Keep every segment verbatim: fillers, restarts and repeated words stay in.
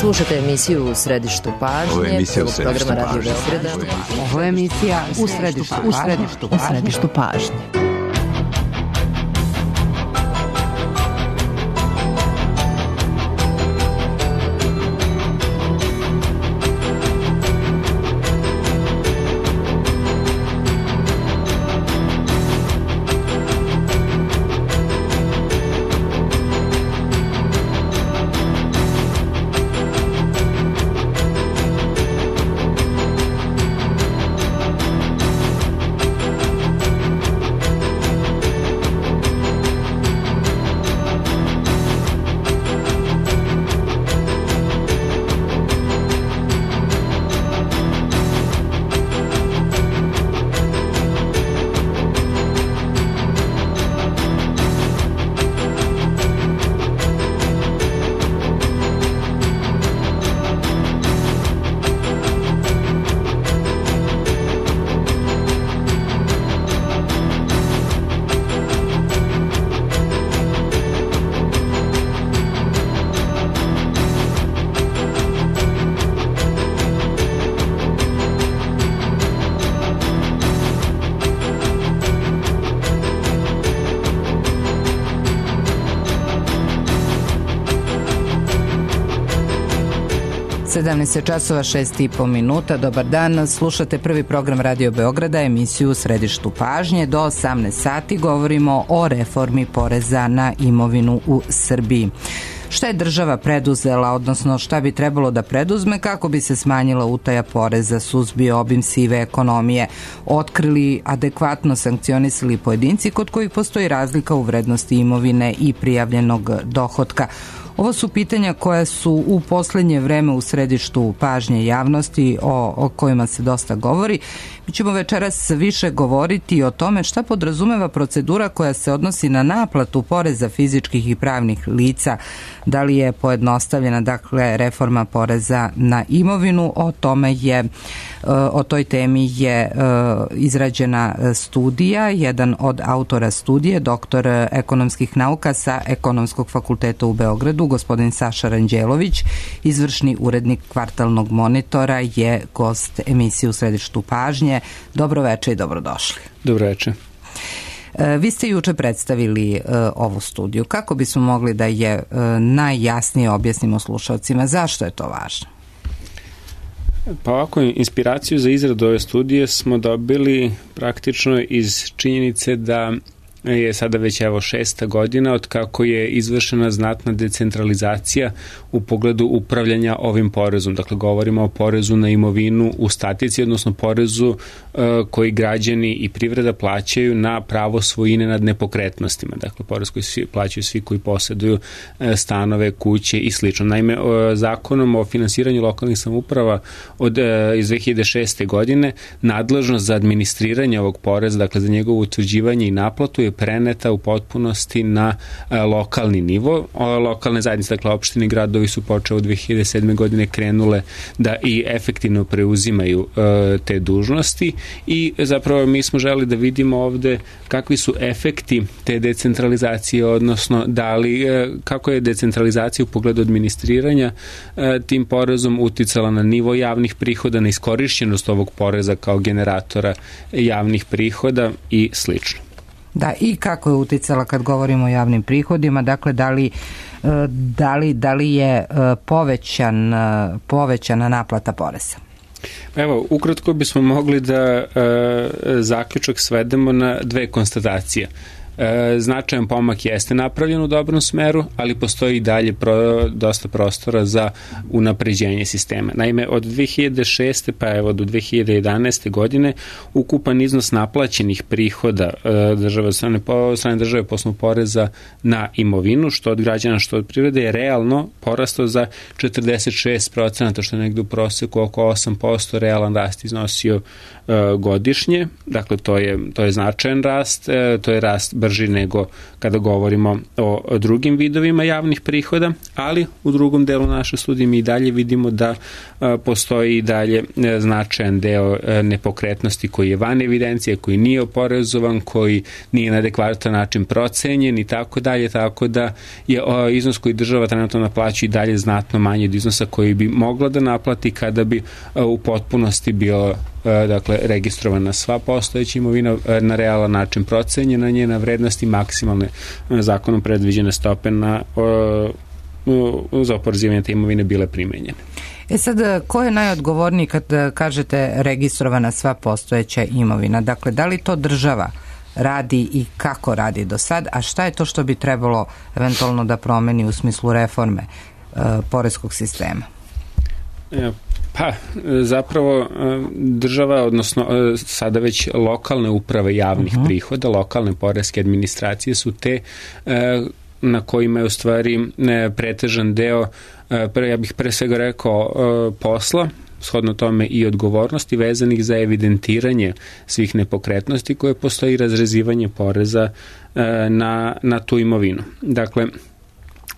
Slušate emisiju U središtu pažnje. Ovo je emisija U središtu programa pažnje. Radio Beograda. Ovo je emisija U središtu pažnje. U središtu pažnje. U središtu pažnje. sedamnaest časova šest i po minuta. Dobar dan, slušate prvi program Radio Beograda, emisiju U središtu pažnje. Do osamnaest sati govorimo o reformi poreza na imovinu u Srbiji. Šta je država preduzela, odnosno šta bi trebalo da preduzme kako bi se smanjila utaja poreza, suzbio obim sive ekonomije, otkrili, adekvatno sankcionisali pojedinci kod kojih postoji razlika u vrednosti imovine i prijavljenog dohotka. Ovo su pitanja koja su u poslednje vreme u središtu pažnje javnosti, o, o kojima se dosta govori. Mi ćemo večeras više govoriti o tome šta podrazumeva procedura koja se odnosi na naplatu poreza fizičkih i pravnih lica, da li je pojednostavljena, dakle, reforma poreza na imovinu. O tome je, o toj temi je izrađena studija. Jedan od autora studije, doktor ekonomskih nauka sa Ekonomskog fakulteta u Beogradu, gospodin Saša Ranđelović, izvršni urednik Kvartalnog monitora, je gost emisije U središtu pažnje. Dobro veče i dobrodošli. Dobro veče. Vi ste juče predstavili uh, ovu studiju. Kako bismo mogli da je uh, najjasnije objasnimo slušalcima? Zašto je to važno? Pa ovako, inspiraciju za izradu ove studije smo dobili praktično iz činjenice da je sada već evo šesta godina od kako je izvršena znatna decentralizacija u pogledu upravljanja ovim porezom. Dakle, govorimo o porezu na imovinu u statici, odnosno porezu uh, koji građani i privreda plaćaju na pravo svojine nad nepokretnostima. Dakle, porez koji svi, plaćaju svi koji posjeduju uh, stanove, kuće i slično. Naime, uh, zakonom o finansiranju lokalnih samouprava od, uh, iz dve hiljade šeste. godine nadležnost za administriranje ovog poreza, dakle za njegovo utvrđivanje i naplatu, je preneta u potpunosti na a, lokalni nivo. O, lokalne zajednice, dakle opštine i gradovi su počeo od dve hiljade sedme. godine krenule da i efektivno preuzimaju a, te dužnosti i zapravo mi smo želi da vidimo ovde kakvi su efekti te decentralizacije, odnosno da li, a, kako je decentralizacija u pogledu administriranja a, tim porezom uticala na nivo javnih prihoda, na iskorišćenost ovog poreza kao generatora javnih prihoda i slično. Da, i kako je uticala kad govorimo o javnim prihodima, dakle da li, da li, da li je povećan, povećana naplata poreza? Evo, ukratko bismo mogli da e, zaključak svedemo na dve konstatacije. E, značajan pomak jeste napravljen u dobrom smeru, ali postoji i dalje pro, dosta prostora za unapređenje sistema. Naime, od dve hiljade šeste. pa evo do dve hiljade jedanaeste. godine ukupan iznos naplaćenih prihoda e, države, strane, po, strane države po osnovu poreza na imovinu, što od građana, što od privrede, je realno porastao za četrdeset šest procenata, što je negde u proseku oko osam posto realan rast iznosio e, godišnje. Dakle, to je, to je značajan rast, e, to je rast brži nego kada govorimo o drugim vidovima javnih prihoda, ali u drugom delu naše studije mi i dalje vidimo da postoji i dalje značajan deo nepokretnosti koji je van evidencije, koji nije oporezovan, koji nije na adekvatan način procenjen i tako dalje, tako da je iznos koji država trenutno naplaćuje i dalje znatno manji od iznosa koji bi mogla da naplati kada bi u potpunosti bio dakle registrovana sva postojeća imovina, na realan način procenjena njena vrednost i maksimalne zakonom predviđene stope na za oporezivanje te imovine bile primenjene. E sad, ko je najodgovorniji kad kažete registrovana sva postojeća imovina? Dakle, da li to država radi i kako radi do sad, a šta je to što bi trebalo eventualno da promeni u smislu reforme e, poreskog sistema? E, pa, zapravo država, odnosno sada već lokalne uprave javnih uh-huh. prihoda, lokalne poreske administracije su te e, na kojima je u stvari pretežan deo, ja bih pre svega rekao, posla, shodno tome i odgovornosti vezanih za evidentiranje svih nepokretnosti koje postoji, razrezivanje poreza na, na tu imovinu. Dakle,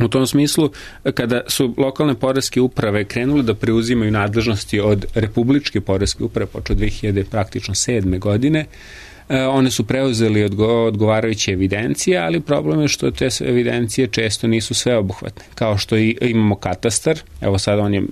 u tom smislu, kada su lokalne poreske uprave krenule da preuzimaju nadležnosti od republičke poreske uprave počeo dve hiljade praktično sedme godine, one su preuzeli odgovarajuće evidencije, ali problem je što te evidencije često nisu sveobuhvatne. Kao što i imamo katastar, evo sad on je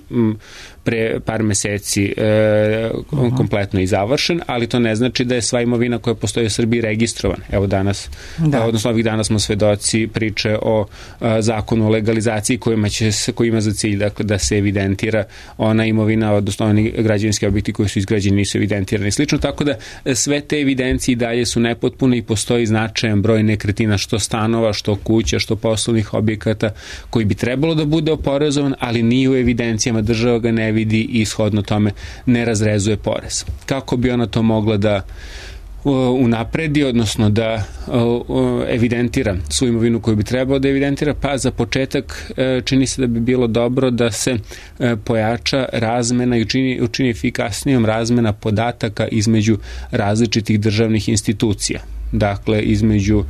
pre par meseci e, kompletno i završen, ali to ne znači da je sva imovina koja postoji u Srbiji registrovana. Evo danas, da. odnosno ovih dana smo svedoci priče o a, zakonu o legalizaciji kojima će se, koji ima za cilj dakle, da se evidentira ona imovina, odnosno oni građevinski objekti koji su izgrađeni nisu evidentirani i slično, tako da sve te evidencije i dalje su nepotpune i postoji značajan broj nekretnina, što stanova, što kuća, što poslovnih objekata koji bi trebalo da bude oporezovan, ali nije u evidencijama, država ga ne vidi i ishodno tome ne razrezuje porez. Kako bi ona to mogla da unapredi, odnosno da evidentira svu imovinu koju bi trebalo da evidentira? Pa za početak čini se da bi bilo dobro da se pojača razmena i učini, učini efikasnijom razmena podataka između različitih državnih institucija. Dakle, između e,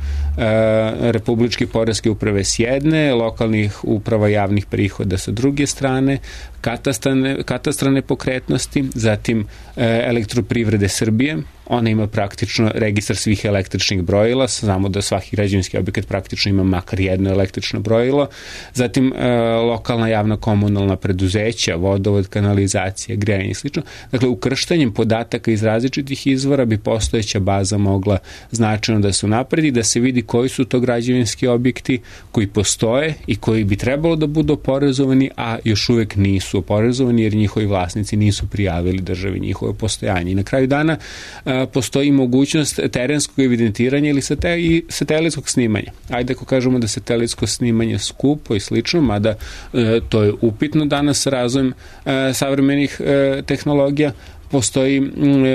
Republičke poreske uprave s jedne, lokalnih uprava javnih prihoda sa druge strane, katastrane, katastrane pokretnosti, zatim e, Elektroprivrede Srbije, ona ima praktično registar svih električnih brojila, znamo da svaki građevinski objekat praktično ima makar jedno električno brojilo, zatim e, lokalna javna komunalna preduzeća, vodovod, kanalizacija, grejanje i slično. Dakle, ukrštanjem podataka iz različitih izvora bi postojeća baza mogla značajno da se unapredi, da se vidi koji su to građevinski objekti koji postoje i koji bi trebalo da budu oporezovani, a još uvek nisu oporezovani jer njihovi vlasnici nisu prijavili državi njihovo postojanje. I na kraju dana a, postoji mogućnost terenskog evidentiranja ili sate, i satelitskog snimanja. Ajde ako kažemo da satelitsko snimanje skupo i slično, mada e, to je upitno danas sa razvojem e, savremenih e, tehnologija, postoji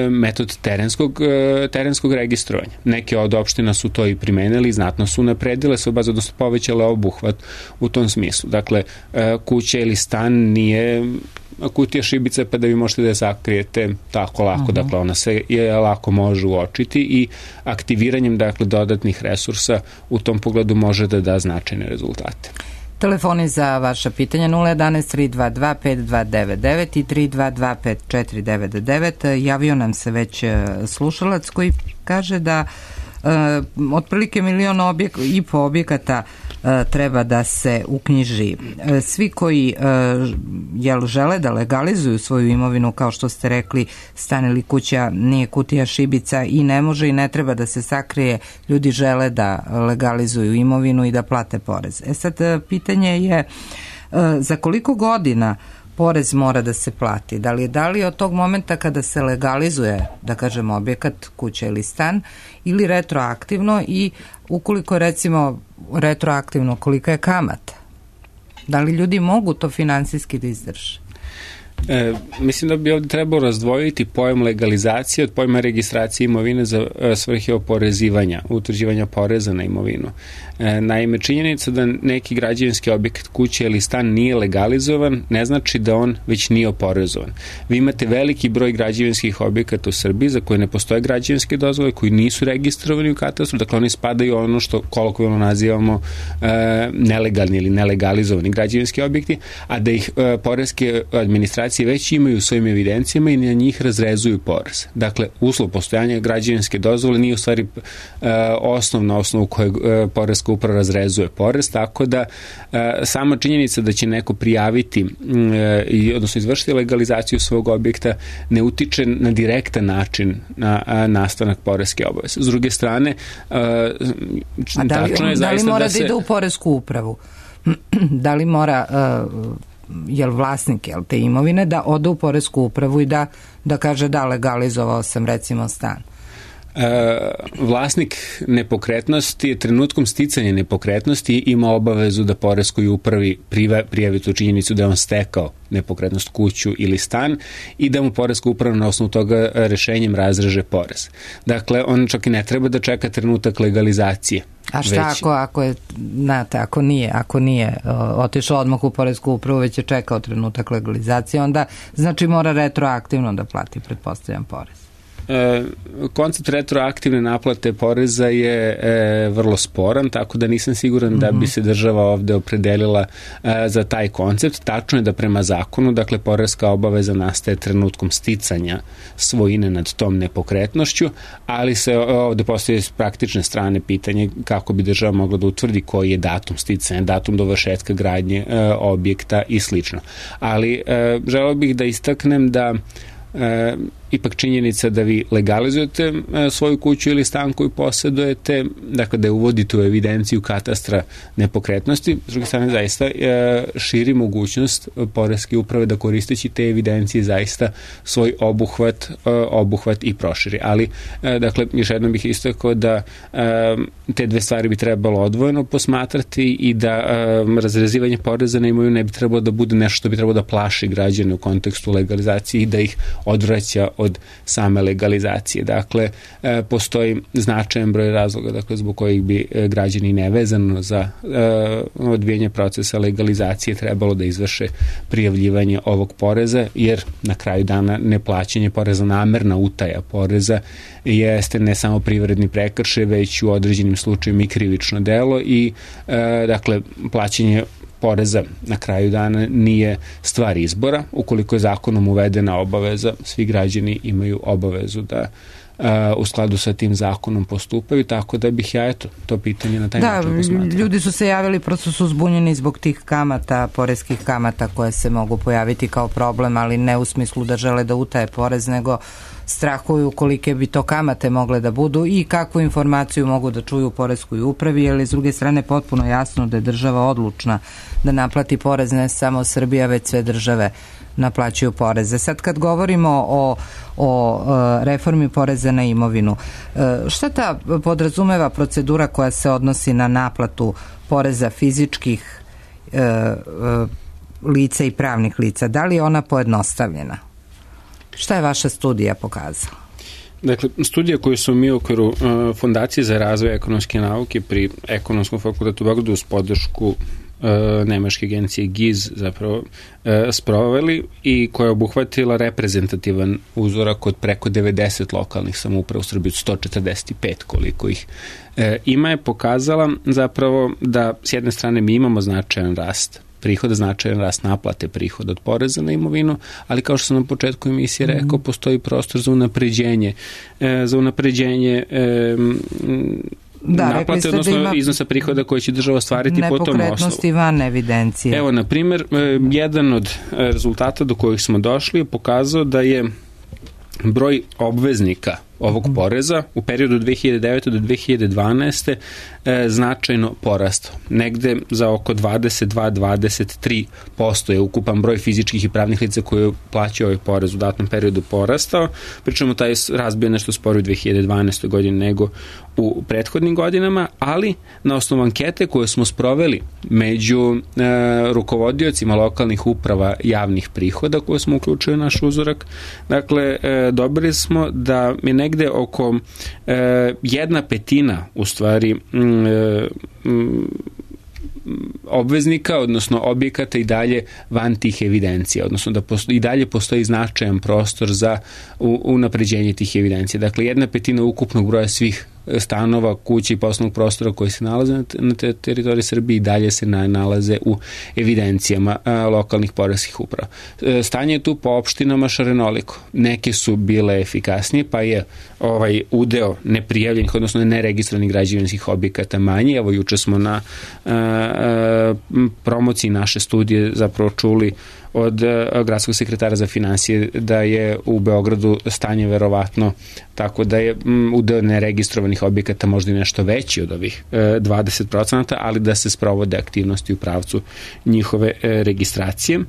metod terenskog, terenskog registrovanja. Neke od opština su to i primenili i znatno su napredile se obaza, odnosno povećale obuhvat u tom smislu. Dakle, kuća ili stan nije kutija šibica pa da vi možete da je sakrijete tako lako. Uh-huh. Dakle, ona se je lako može uočiti i aktiviranjem dakle, dodatnih resursa u tom pogledu može da da značajne rezultate. Telefoni za vaša pitanja nula jedanaest tri dva dva pet dva devet devet i tri dva dva pet četiri devet devet. Javio nam se već slušalac koji kaže da e, otprilike milion objek, i po objekata e, treba da se uknjiži. E, svi koji e, jel žele da legalizuju svoju imovinu, kao što ste rekli, stan ili kuća nije kutija šibica i ne može i ne treba da se sakrije, ljudi žele da legalizuju imovinu i da plate porez. E sad, pitanje je e, za koliko godina porez mora da se plati? Da li je da li od tog momenta kada se legalizuje, da kažemo, objekat, kuća ili stan, ili retroaktivno, i ukoliko recimo retroaktivno, kolika je kamata? Da li ljudi mogu to finansijski da izdrže? E, mislim da bi ovdje trebalo razdvojiti pojam legalizacije od pojma registracije imovine za e, svrhe oporezivanja, utvrđivanja poreza na imovinu. E, naime, činjenica da neki građevinski objekat, kuća ili stan nije legalizovan, ne znači da on već nije oporezovan. Vi imate veliki broj građevinskih objekata u Srbiji za koje ne postoje građevinske dozvole, koji nisu registrovani u katastru, dakle oni spadaju ono što kolokvijalno nazivamo e, nelegalni ili nelegalizovani građevinski objekti, a da ih e, poreske administracije već imaju u svojim evidencijama i na njih razrezuju porez. Dakle, uslov postojanja građevinske dozvole nije u stvari e, osnov na osnovu kojeg e, poreska uprava razrezuje porez, tako da e, sama činjenica da će neko prijaviti e, i odnosno izvršiti legalizaciju svog objekta ne utiče na direktan način na a, nastanak poreske obaveze. S druge strane, e, a da li, tačno je da li mora da, se... da ide u poresku upravu? Da li mora uh, jel vlasnik jel, te imovine da ode u poresku upravu i da, da kaže da legalizovao sam recimo stan? E, vlasnik nepokretnosti je trenutkom sticanja nepokretnosti ima obavezu da poreskoj upravi prijavi tu činjenicu da je on stekao nepokretnost, kuću ili stan i da mu poreska uprava na osnovu toga rešenjem razreže porez. Dakle, on čak i ne treba da čeka trenutak legalizacije. A šta već... ako, ako je, znate, ako nije, ako nije o, otišao odmah u poresku upravu, već je čekao trenutak legalizacije, onda znači mora retroaktivno da plati, pretpostavljam, porez. E, koncept retroaktivne naplate poreza je e, vrlo sporan, tako da nisam siguran da bi se država ovde opredelila e, za taj koncept. Tačno je da prema zakonu, dakle, poreska obaveza nastaje trenutkom sticanja svojine nad tom nepokretnošću, ali se ovde postoji s praktične strane pitanje kako bi država mogla da utvrdi koji je datum sticanja, datum dovršetka gradnje e, objekta i slično. Ali e, želeo bih da istaknem da E, ipak činjenica da vi legalizujete e, svoju kuću ili stan koju posjedujete, dakle da je uvodite u evidenciju katastra nepokretnosti, s druge strane zaista e, širi mogućnost poreske uprave da koristeći te evidencije zaista svoj obuhvat, e, obuhvat i proširi. Ali, e, dakle, još jednom bih istakao da e, te dve stvari bi trebalo odvojeno posmatrati i da e, razrezivanje poreza na imovinu ne bi trebalo da bude nešto što bi trebalo da plaši građane u kontekstu legalizacije i da ih odvraća od same legalizacije. Dakle, e, postoji značajan broj razloga, dakle, zbog kojih bi e, građani nevezano za e, odvijanje procesa legalizacije trebalo da izvrše prijavljivanje ovog poreza, jer na kraju dana neplaćanje poreza, namerna utaja poreza jeste ne samo privredni prekršaj, već u određenim slučajevima i krivično delo i e, dakle, plaćanje poreza na kraju dana nije stvar izbora. Ukoliko je zakonom uvedena obaveza, svi građani imaju obavezu da uh, u skladu sa tim zakonom postupaju, tako da bih ja eto to pitanje na taj da, način posmatrao. Da, ljudi su se javili, prosto su zbunjeni zbog tih kamata, poreskih kamata koje se mogu pojaviti kao problem, ali ne u smislu da žele da utaje porez, nego strahuju kolike bi to kamate mogle da budu i kakvu informaciju mogu da čuju u poreskoj upravi, jer je s druge strane potpuno jasno da je država odlučna da naplati porez, ne samo Srbija, već sve države naplaćuju poreze. Sad kad govorimo o, o reformi poreza na imovinu, šta ta podrazumeva procedura koja se odnosi na naplatu poreza fizičkih lica i pravnih lica? Da li je ona pojednostavljena? Šta je vaša studija pokazala? Dakle, studija koju smo mi u okviru uh, Fondacije za razvoj ekonomske nauke pri Ekonomskom fakultetu u Beogradu uz podršku uh, nemačke agencije G I Z zapravo uh, sproveli i koja je obuhvatila reprezentativan uzorak od preko devedeset lokalnih samouprava u Srbiji, sto četrdeset pet koliko ih uh, ima, je pokazala zapravo da s jedne strane mi imamo značajan rast prihoda, značajan rast naplate prihoda od poreza na imovinu, ali kao što sam na početku emisije rekao, postoji prostor za unapređenje, e, za unapređenje e, da, naplate, odnosno da iznosa prihoda koje će država ostvariti po tom osnovu. Nepokretnosti van evidencije. Evo, na primjer, e, jedan od rezultata do kojih smo došli je pokazao da je broj obveznika ovog poreza u periodu od dve hiljade devete do dve hiljade dvanaeste e, značajno porastao. Negde za oko dvadeset dva do dvadeset tri posto je ukupan broj fizičkih i pravnih lica koji plaćaju ovaj porez u datom periodu porastao, pričemu taj razbio nešto sporo u dve hiljade dvanaestoj godini nego u prethodnim godinama, ali na osnovu ankete koje smo sproveli među e, rukovodiocima lokalnih uprava javnih prihoda koje smo uključili u naš uzorak, dakle, e, dobili smo da je negde oko e, jedna petina u stvari m, m, obveznika, odnosno objekata i dalje van tih evidencija, odnosno da postoji, i dalje postoji značajan prostor za unapređenje tih evidencija. Dakle, jedna petina ukupnog broja svih stanova, kuća i poslovnog prostora koji se nalaze na teritoriji Srbije i dalje se nalaze u evidencijama a, lokalnih poreskih uprava. E, stanje je tu po opštinama šarenoliko. Neke su bile efikasnije, pa je ovaj udeo neprijavljenih, odnosno neregistrovanih građevinskih objekata manji. Evo, juče smo na a, a, promociji naše studije zapravo čuli od gradskog sekretara za finansije da je u Beogradu stanje verovatno tako da je udeo neregistrovanih objekata možda i nešto veći od ovih dvadeset procenata, ali da se sprovode aktivnosti u pravcu njihove registracije.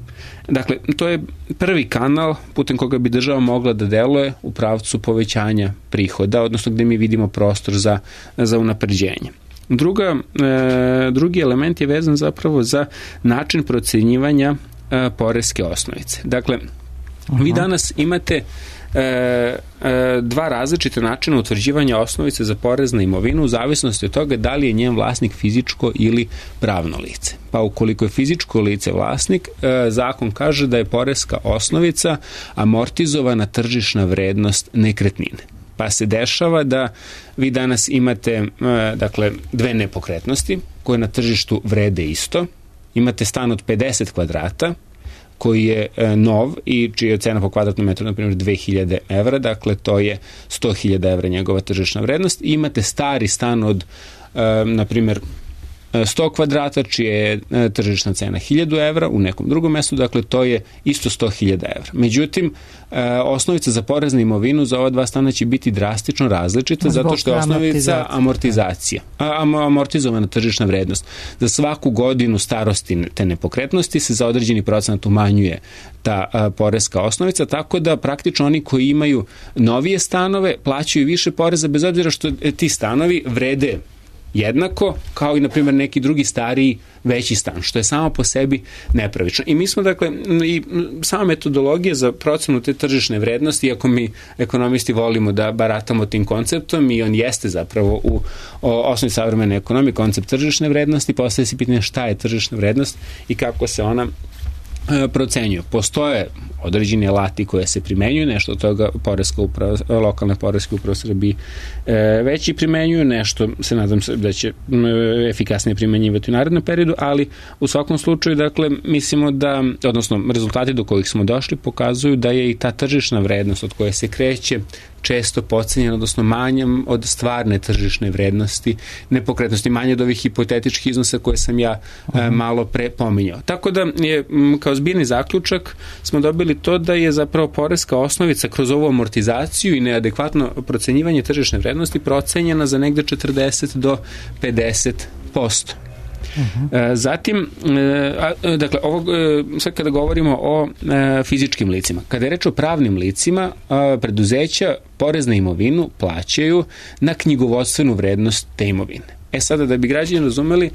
Dakle, to je prvi kanal putem koga bi država mogla da deluje u pravcu povećanja prihoda, odnosno gde mi vidimo prostor za, za unapređenje. Druga, drugi element je vezan zapravo za način procenjivanja poreske osnovice. Dakle, Aha. vi danas imate e, e, dva različite načina utvrđivanja osnovice za porez na imovinu u zavisnosti od toga da li je njen vlasnik fizičko ili pravno lice. Pa ukoliko je fizičko lice vlasnik, e, zakon kaže da je poreska osnovica amortizovana tržišna vrednost nekretnine. Pa se dešava da vi danas imate e, dakle, dve nepokretnosti koje na tržištu vrede isto. Imate stan od pedeset kvadrata koji je e, nov i čija je cena po kvadratnom metru, na primjer, dve hiljade evra, dakle to je sto hiljada evra njegova tržišna vrednost. I imate stari stan od, e, na primjer, sto kvadrata, čija je e, tržišna cena hiljadu evra u nekom drugom mestu, dakle to je isto sto hiljada evra. Međutim, e, osnovica za porez na imovinu za ova dva stana će biti drastično različita Zbog zato što je osnovica amortizacija, am, amortizovana tržišna vrednost. Za svaku godinu starosti te nepokretnosti se za određeni procenat umanjuje ta a, poreska osnovica, tako da praktično oni koji imaju novije stanove plaćaju više poreza bez obzira što ti stanovi vrede jednako kao i, na primjer, neki drugi stariji veći stan, što je samo po sebi nepravično. I mi smo, dakle, i sama metodologija za procenu te tržišne vrednosti, iako mi ekonomisti volimo da baratamo tim konceptom i on jeste zapravo u osnovi savremene ekonomije koncept tržišne vrednosti, postaje se pitanje šta je tržišna vrednost i kako se ona procenjuju. Postoje određeni alati koje se primenjuju, nešto od toga poreska uprava, lokalne poreske uprave Srbije već i primenjuju, nešto se nadam se da će efikasnije primenjivati u narednom periodu, ali u svakom slučaju, dakle, mislimo da, odnosno rezultati do kojih smo došli pokazuju da je i ta tržišna vrednost od koje se kreće često podcenjena, odnosno manjom od stvarne tržišne vrednosti nepokretnosti, manje od ovih hipotetičkih iznosa koje sam ja uh-huh. malo pre pominjao. Tako da je kao zbirni zaključak smo dobili to da je zapravo poreska osnovica kroz ovu amortizaciju i neadekvatno procenjivanje tržišne vrednosti procenjena za negde četrdeset do pedeset posto. Uh-huh. Zatim, dakle, ovo, sad kada govorimo o fizičkim licima, kada je reč o pravnim licima, preduzeća porez na imovinu plaćaju na knjigovodstvenu vrednost te imovine. E sada, da bi građani razumeli,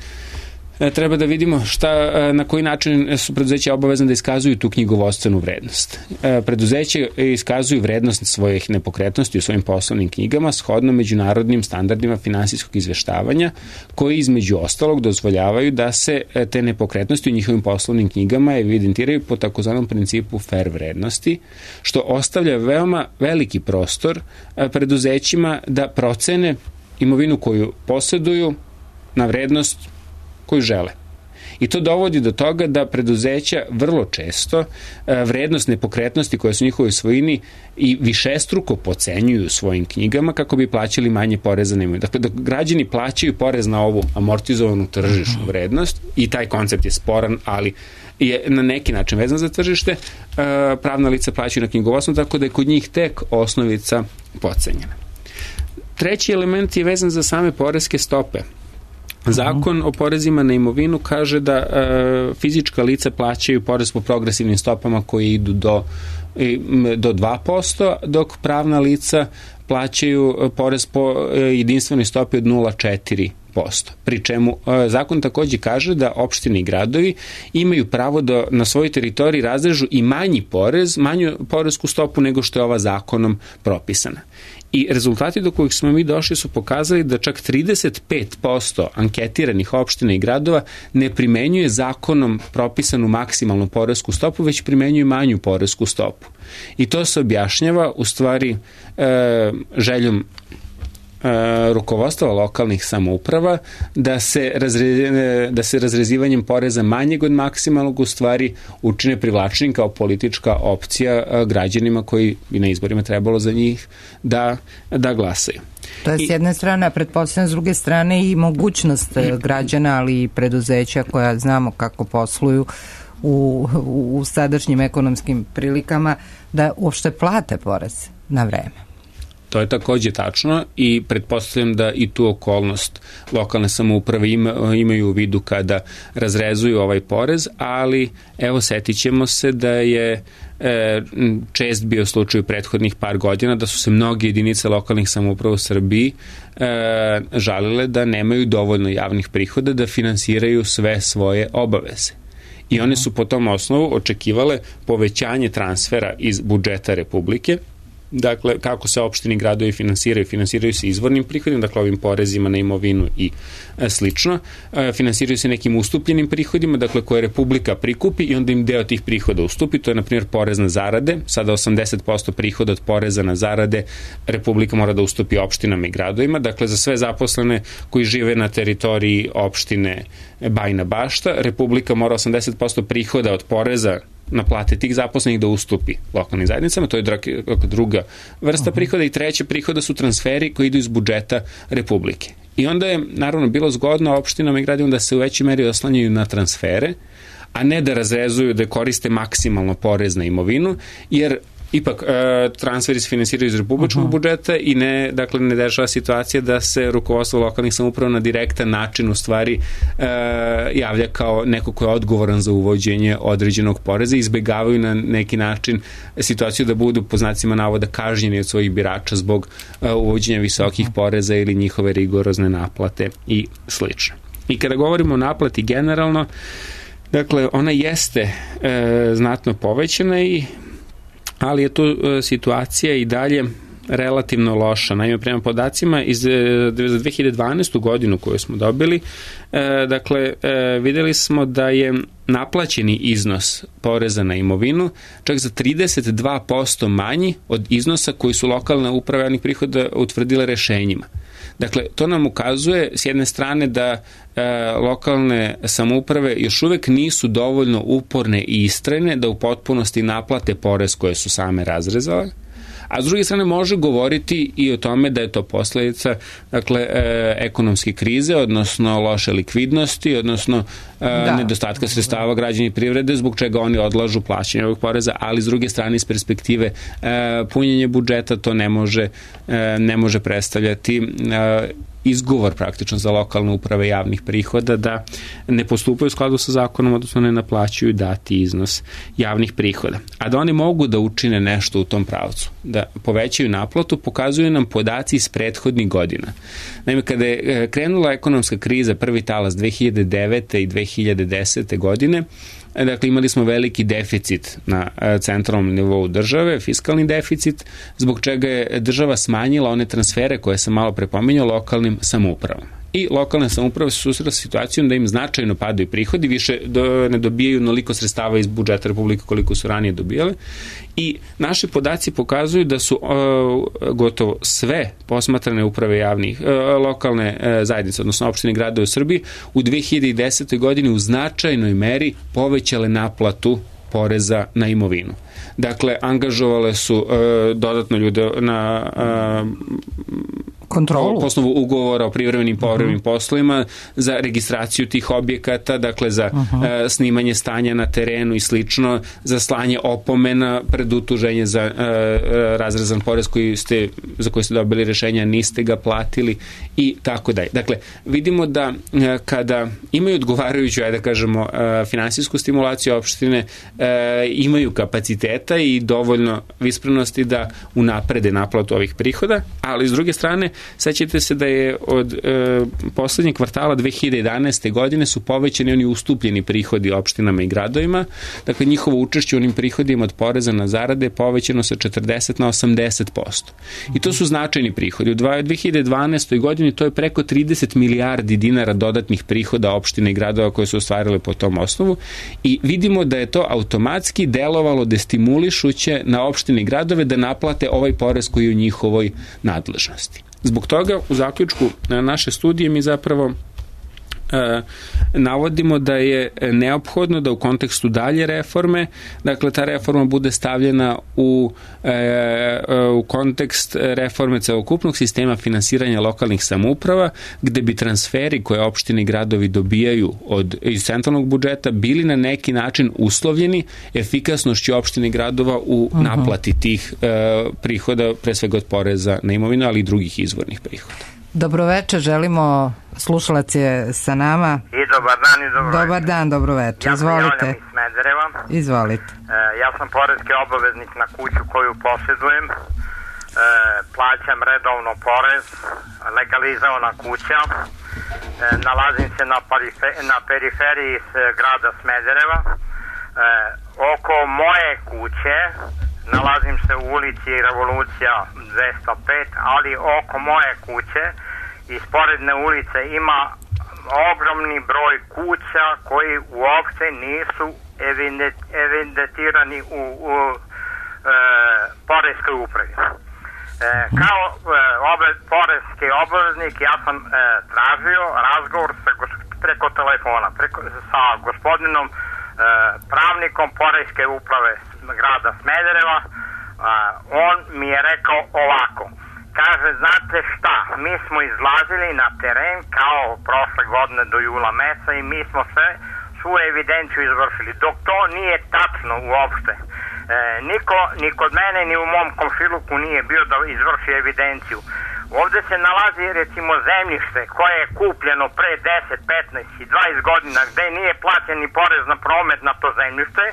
treba da vidimo šta, na koji način su preduzeća obavezne da iskazuju tu knjigovodstvenu vrednost. Preduzeće iskazuju vrednost svojih nepokretnosti u svojim poslovnim knjigama shodno međunarodnim standardima finansijskog izveštavanja koji između ostalog dozvoljavaju da se te nepokretnosti u njihovim poslovnim knjigama evidentiraju po takozvanom principu fair vrednosti, što ostavlja veoma veliki prostor preduzećima da procene imovinu koju posjeduju na vrednost koju žele. I to dovodi do toga da preduzeća vrlo često vrednost nepokretnosti koje su u njihovoj svojini i višestruko pocenjuju u svojim knjigama kako bi plaćali manje poreza na imovinu. Dakle, dok građani plaćaju porez na ovu amortizovanu tržišnu vrednost, i taj koncept je sporan, ali je na neki način vezan za tržište, pravna lica plaćaju na knjigovodstvu, tako da je kod njih tek osnovica pocenjena. Treći element je vezan za same poreske stope. Zakon o porezima na imovinu kaže da e, fizička lica plaćaju porez po progresivnim stopama koji idu do, do dva posto, dok pravna lica plaćaju porez po jedinstvenoj stopi od nula zarez četiri posto. Pri čemu zakon takođe kaže da opštine i gradovi imaju pravo da na svojoj teritoriji razrežu i manji porez, manju poresku stopu nego što je ova zakonom propisana. I rezultati do kojih smo mi došli su pokazali da čak trideset pet posto anketiranih opština i gradova ne primenjuje zakonom propisanu maksimalnu poresku stopu, već primenjuje manju poresku stopu. I to se objašnjava u stvari e, željom rukovodstva lokalnih samouprava da se, razre, da se razrezivanjem poreza manjeg od maksimalnog u stvari učine privlačnim kao politička opcija građanima koji bi na izborima trebalo za njih da, da glasaju. To je s jedne strane, a pretpostavljam s druge strane i mogućnost građana, ali i preduzeća koja znamo kako posluju u, u sadašnjim ekonomskim prilikama da uopšte plate porez na vreme. To je takođe tačno i pretpostavljam da i tu okolnost lokalne samouprave ima, imaju u vidu kada razrezuju ovaj porez, ali evo setit ćemo se da je e, čest bio slučaj u prethodnih par godina da su se mnoge jedinice lokalnih samouprava u Srbiji e, žalile da nemaju dovoljno javnih prihoda da finansiraju sve svoje obaveze. I one su po tom osnovu očekivale povećanje transfera iz budžeta Republike. Dakle, kako se opštini i gradovi finansiraju, finansiraju se izvornim prihodima, dakle ovim porezima na imovinu i e, slično, e, finansiraju se nekim ustupljenim prihodima, dakle koje Republika prikupi i onda im deo tih prihoda ustupi, to je na primjer porez na zarade, sada osamdeset posto prihoda od poreza na zarade Republika mora da ustupi opštinama i gradovima, dakle za sve zaposlene koji žive na teritoriji opštine Bajina Bašta, Republika mora osamdeset posto prihoda od poreza na plate tih zaposlenih da ustupi lokalnim zajednicama, to je druga vrsta prihoda i treća prihoda su transferi koji idu iz budžeta Republike. I onda je naravno bilo zgodno opštinama i gradovima da se u većoj meri oslanjaju na transfere, a ne da razrezuju, da koriste maksimalno porez na imovinu, jer ipak e, transferi se finansiraju iz republičkog uh-huh. budžeta i ne, dakle, ne dešava situacija da se rukovodstvo lokalnih samouprava na direktan način u stvari e, javlja kao neko ko je odgovoran za uvođenje određenog poreza i izbegavaju na neki način situaciju da budu po znacima navoda kažnjeni od svojih birača zbog e, uvođenja visokih uh-huh. poreza ili njihove rigorozne naplate i slično. I kada govorimo o naplati generalno, dakle, ona jeste e, znatno povećana i ali je tu e, situacija i dalje relativno loša. Naime, prema podacima iz e, za dve hiljade dvanaestu godinu koju smo dobili, e, dakle, e, videli smo da je naplaćeni iznos poreza na imovinu čak za trideset dva posto manji od iznosa koji su lokalne uprave javnih prihoda utvrdile rešenjima. Dakle, to nam ukazuje s jedne strane da e, lokalne samouprave još uvek nisu dovoljno uporne i istrajne da u potpunosti naplate porez koje su same razrezale, a s druge strane može govoriti i o tome da je to posledica, dakle, e, ekonomske krize, odnosno loše likvidnosti, odnosno e, da. nedostatka sredstava građana i privrede, zbog čega oni odlažu plaćanje ovog poreza, ali s druge strane iz perspektive e, punjenja budžeta to ne može, e, ne može predstavljati e, izgovor praktično za lokalne uprave javnih prihoda da ne postupaju u skladu sa zakonom, odnosno ne naplaćuju dati iznos javnih prihoda. A da oni mogu da učine nešto u tom pravcu, da povećaju naplatu, pokazuju nam podaci iz prethodnih godina. Naime, kada je krenula ekonomska kriza, prvi talas dve hiljade devete i dve hiljade desete godine, dakle, imali smo veliki deficit na centralnom nivou države, fiskalni deficit, zbog čega je država smanjila one transfere koje sam malo prepominjao lokalnim samoupravama. I lokalne samouprave su susretale sa situacijom da im značajno padaju prihodi, više do, ne dobijaju onoliko sredstava iz budžeta Republike koliko su ranije dobijale. I naši podaci pokazuju da su uh, gotovo sve posmatrane uprave javnih, uh, lokalne uh, zajednice, odnosno opštine i gradove u Srbiji, u dve hiljade desetoj godini u značajnoj meri povećale naplatu poreza na imovinu. Dakle, angažovale su uh, dodatno ljude na uh, kontrolu, po osnovu ugovora o privremenim povremenim uh-huh. poslovima za registraciju tih objekata, dakle za uh-huh. uh, snimanje stanja na terenu i slično, za slanje opomena pred utuženje za uh, razrezan porez koji ste, za koji ste dobili rešenja, niste ga platili i tako dalje. Dakle, vidimo da uh, kada imaju odgovarajuću, ajde da kažemo, uh, finansijsku stimulaciju, opštine uh, imaju kapaciteta i dovoljno visprenosti da unaprede naplatu ovih prihoda, ali s druge strane sećate se da je od e, poslednjeg kvartala dve hiljade jedanaeste. godine su povećani oni ustupljeni prihodi opštinama i gradovima, dakle njihovo učešće u onim prihodima od poreza na zarade je povećano sa četrdeset na osamdeset posto. I to su značajni prihodi. U dve hiljade dvanaestoj. godini to je preko trideset milijardi dinara dodatnih prihoda opština i gradova koje su ostvarile po tom osnovu i vidimo da je to automatski delovalo destimulišuće na opštine i gradove da naplate ovaj porez koji je u njihovoj nadležnosti. Zbog toga u zaključku naše studije mi zapravo e, navodimo da je neophodno da u kontekstu dalje reforme, dakle ta reforma bude stavljena u, e, u kontekst reforme celokupnog sistema finansiranja lokalnih samouprava, gde bi transferi koje opštine i gradovi dobijaju od, iz centralnog budžeta bili na neki način uslovljeni efikasnošću opštine i gradova u uh-huh. naplati tih e, prihoda, pre svega od poreza na imovinu, ali i drugih izvornih prihoda. Dobroveče, želimo, slušalac je sa nama. I dobar dan i dobro Dobar dan, dobroveče, ja izvolite. Ja sam iz Smedereva. Izvolite. E, ja sam poreski obaveznik na kuću koju posjedujem. E, plaćam redovno porez, legalizovana kuća. E, nalazim se na, parife, na periferiji s grada Smedereva. E, oko moje kuće nalazim se u ulici Revolucija dvesta pet, ali oko moje kuće iz sporedne ulice ima ogromni broj kuća koji uopšte nisu evidentirani u, u e, poreskoj upravi. E, kao e, obe, poreski obveznik ja sam e, tražio razgovor sa, preko telefona preko, sa gospodinom e, pravnikom poreske uprave grada Smedereva. A, on mi je rekao ovako, kaže, znate šta, mi smo izlazili na teren kao prošle godine do jula meseca i mi smo sve svu evidenciju izvršili, dok to nije tačno uopšte. E, niko, ni kod mene ni u mom komšiluku nije bio da izvrši evidenciju. Ovde se nalazi recimo zemljište koje je kupljeno pre deset, petnaest i dvadeset godina gde nije plaćen ni porez na promet na to zemljište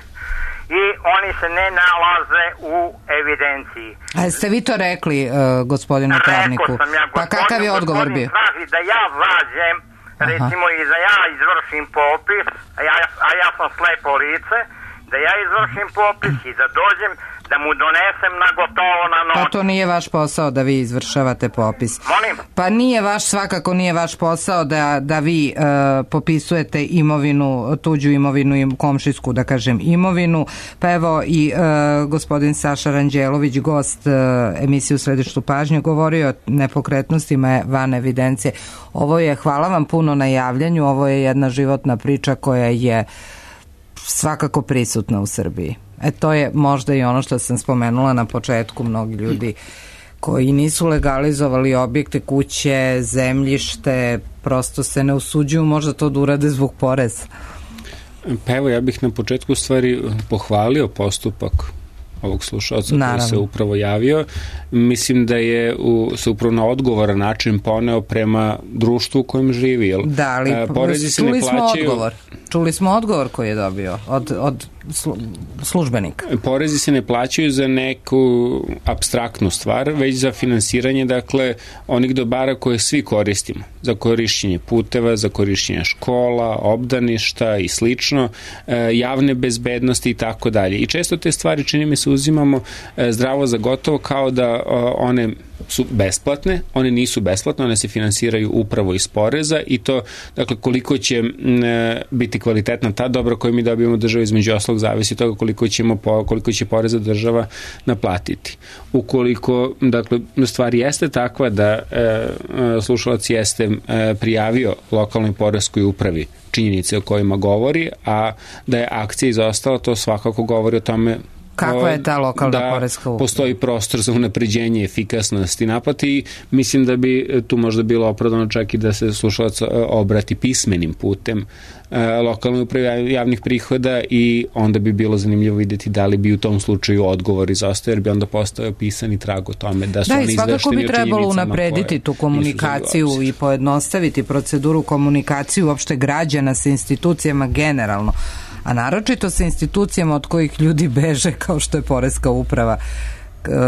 i oni se ne nalaze u evidenciji. A ste vi to rekli uh, gospodinu pravniku? Rekao sam ja, pa kakav je odgovor bio? Traži da ja zađem, recimo i da ja izvršim popis, a ja, a ja sam slepo lice, da ja izvršim popis i da dođem da mu donesem na gotovo na noć. Pa to nije vaš posao da vi izvršavate popis. Molim? Pa nije vaš, svakako nije vaš posao da, da vi uh, popisujete imovinu, tuđu imovinu i komšijsku, da kažem, imovinu. Pa evo i uh, gospodin Saša Ranđelović, gost uh, emisije U središtu pažnje, govorio o nepokretnostima van evidencije. Ovo je, hvala vam puno na javljanju, ovo je jedna životna priča koja je svakako prisutna u Srbiji. E to je možda i ono što sam spomenula na početku, mnogi ljudi koji nisu legalizovali objekte, kuće, zemljište, prosto se ne usuđuju možda to da urade zbog poreza. Pa evo, ja bih na početku stvari pohvalio postupak ovog slušalca koji se upravo javio. Mislim da je u, se upravo na odgovoran način poneo prema društvu u kojem živi. Jel? Da, ali čuli smo plaćaju... odgovor. Čuli smo odgovor koji je dobio od, od službenika. Porezi se ne plaćaju za neku apstraktnu stvar, već za finansiranje, dakle, onih dobara koje svi koristimo. Za korišćenje puteva, za korišćenje škola, obdaništa i slično, javne bezbednosti i tako dalje. I često te stvari, čini mi se, uzimamo zdravo za gotovo, kao da one su besplatne, one nisu besplatne, one se finansiraju upravo iz poreza i to, dakle, koliko će biti kvalitetna ta dobra koju mi dobijemo državu, između oslog zavisi toga koliko ćemo koliko će poreza država naplatiti. Ukoliko, dakle, stvar jeste takva da e, slušalac jeste e, prijavio lokalnoj poreskoj upravi činjenice o kojima govori, a da je akcija izostala, to svakako govori o tome Kakva je ta lokalna da poreska uprava? Postoji prostor za unapređenje efikasnosti naplate i mislim da bi tu možda bilo opravdano čak i da se slušalac obrati pismenim putem lokalnoj upravi javnih prihoda i onda bi bilo zanimljivo vidjeti da li bi u tom slučaju odgovor izostao, jer bi onda postao pisani trag o tome da su da, oni izvešteni o činjenicama. Da, i svakako bi trebalo unaprediti tu komunikaciju i pojednostaviti proceduru komunikaciju uopšte građana sa institucijama generalno, a naročito sa institucijama od kojih ljudi beže kao što je poreska uprava.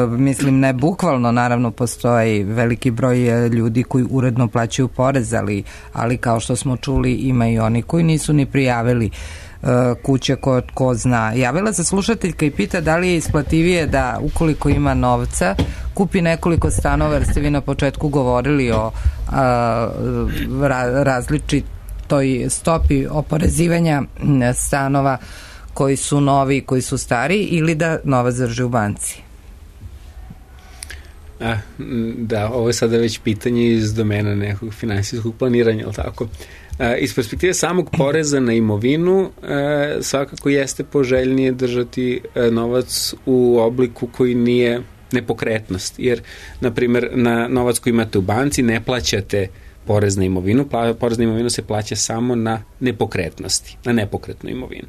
Mislim, ne bukvalno, naravno postoji veliki broj ljudi koji uredno plaćaju porez, ali, ali kao što smo čuli ima i oni koji nisu ni prijavili kuće ko, ko zna. Javila se slušateljka i pita da li je isplativije da ukoliko ima novca kupi nekoliko stanova, jer ste vi na početku govorili o a, ra, različitoj stopi oporezivanja stanova koji su novi, koji su stari, ili da novac drži u banci. A, da, ovo je sada već pitanje iz domena nekog finansijskog planiranja, ali tako? A, iz perspektive samog poreza na imovinu a, svakako jeste poželjnije držati a, novac u obliku koji nije nepokretnost, jer, na primjer, na novac koji imate u banci ne plaćate porez na imovinu, porez na imovinu se plaća samo na nepokretnosti, na nepokretnu imovinu.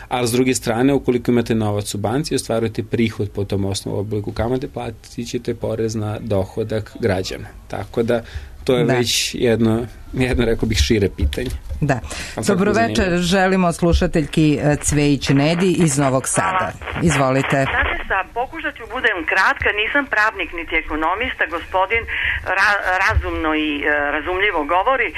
Ali s druge strane, ukoliko imate novac u banci i ostvarujete prihod po tom osnovu obliku kamate, platit ćete porez na dohodak građana. Tako da to je da. već jedno, jedno, rekao bih, šire pitanje. Da. Dobro večer, želimo slušateljki Cvejić Nedi iz Novog Sada. Izvolite. Sa, pokušat ću budem kratka, nisam pravnik niti ekonomista, gospodin ra, razumno i e, razumljivo govori.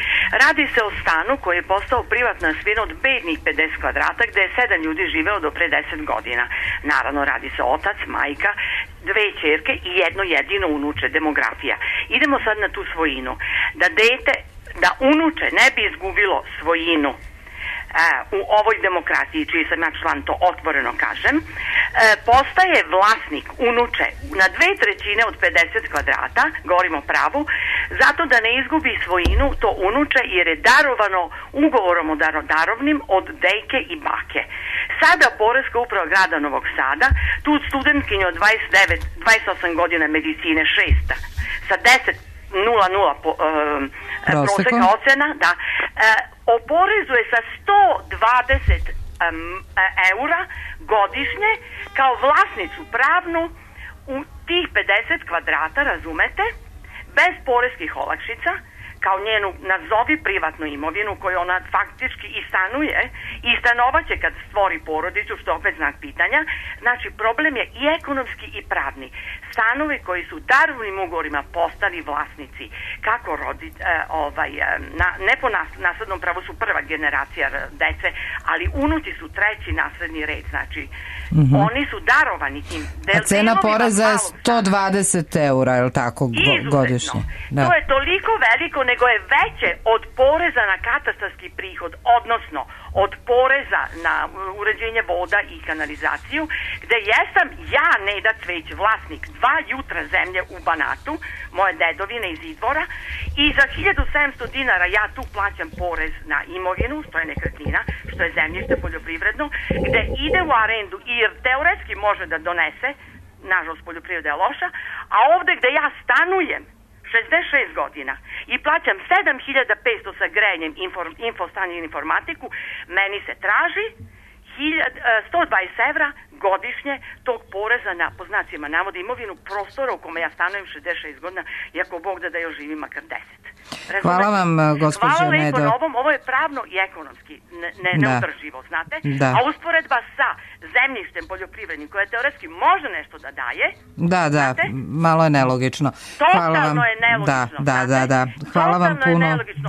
Radi se o stanu koji je postao privatna svina od bednih pedeset kvadrata gde je sedam ljudi živeo do pre deset godina. Naravno, radi se otac, majka, dve ćerke i jedno jedino unuče, demografija. Idemo sad na tu svojinu. Da dete, da unuče ne bi izgubilo svojinu u ovoj demokratiji, čiji sam ja član, to otvoreno kažem, postaje vlasnik unuče na dve trećine od pedeset kvadrata, govorimo pravu, zato da ne izgubi svojinu to unuče, jer je darovano ugovorom o darodarovnim od dejke i bake. Sada Poreska uprava grada Novog Sada, tu studentkinju od dvadeset devet, dvadeset osam godina medicine, šesta, sa deset nula nula po, um, proseka ocena, da, uh, oporezuje sa sto dvadeset um, eura godišnje kao vlasnicu pravnu u tih pedeset kvadrata, razumete, bez poreskih olakšica, kao njenu nazovi privatnu imovinu koju ona faktički i stanuje i stanovaće kad stvori porodicu, što opet znak pitanja. Znači, problem je i ekonomski i pravni. Stanovi koji su darovnim ugovorima postali vlasnici, kako rodi, e, ovaj, na, ne po nas, naslednom pravu su prva generacija dece, ali unuci su treći nasledni red, znači mm-hmm. oni su darovani tim. Del, A cena poreza je sto dvadeset eura, je li tako, godišnje? Da. To je toliko veliko, nego je veće od poreza na katastarski prihod, odnosno od poreza na uređenje voda i kanalizaciju, gde jesam ja, Neda Cvejić, vlasnik dva jutra zemlje u Banatu, moje dedovine iz Idvora, i za hiljadu sedamsto dinara ja tu plaćam porez na imovinu, što je nekretnina, što je zemljište poljoprivredno, gde ide u arendu i teoretski može da donese, nažalost poljoprivreda je loša, a ovde gde ja stanujem šezdeset šest godina i plaćam sedam hiljada petsto sa grejanjem inform, infostanje i informatiku, meni se traži sto dvadeset evra godišnje tog poreza na, po znacima navoda, imovinu prostora u kome ja stanujem šezdeset šest godina, iako Bog da da još živim makar deset. Razumete? Hvala vam, gospođo Nedo. Hvala lepo na ovom, ovo je pravno i ekonomski ne, ne, da. neodrživo, znate? Da. A usporedba sa zemljištem poljoprivrednim koje teoretski može nešto da daje, da, da, znate? Malo je nelogično. Totalno Hvala vam. je nelogično. Da, da, da, da. Hvala vam puno.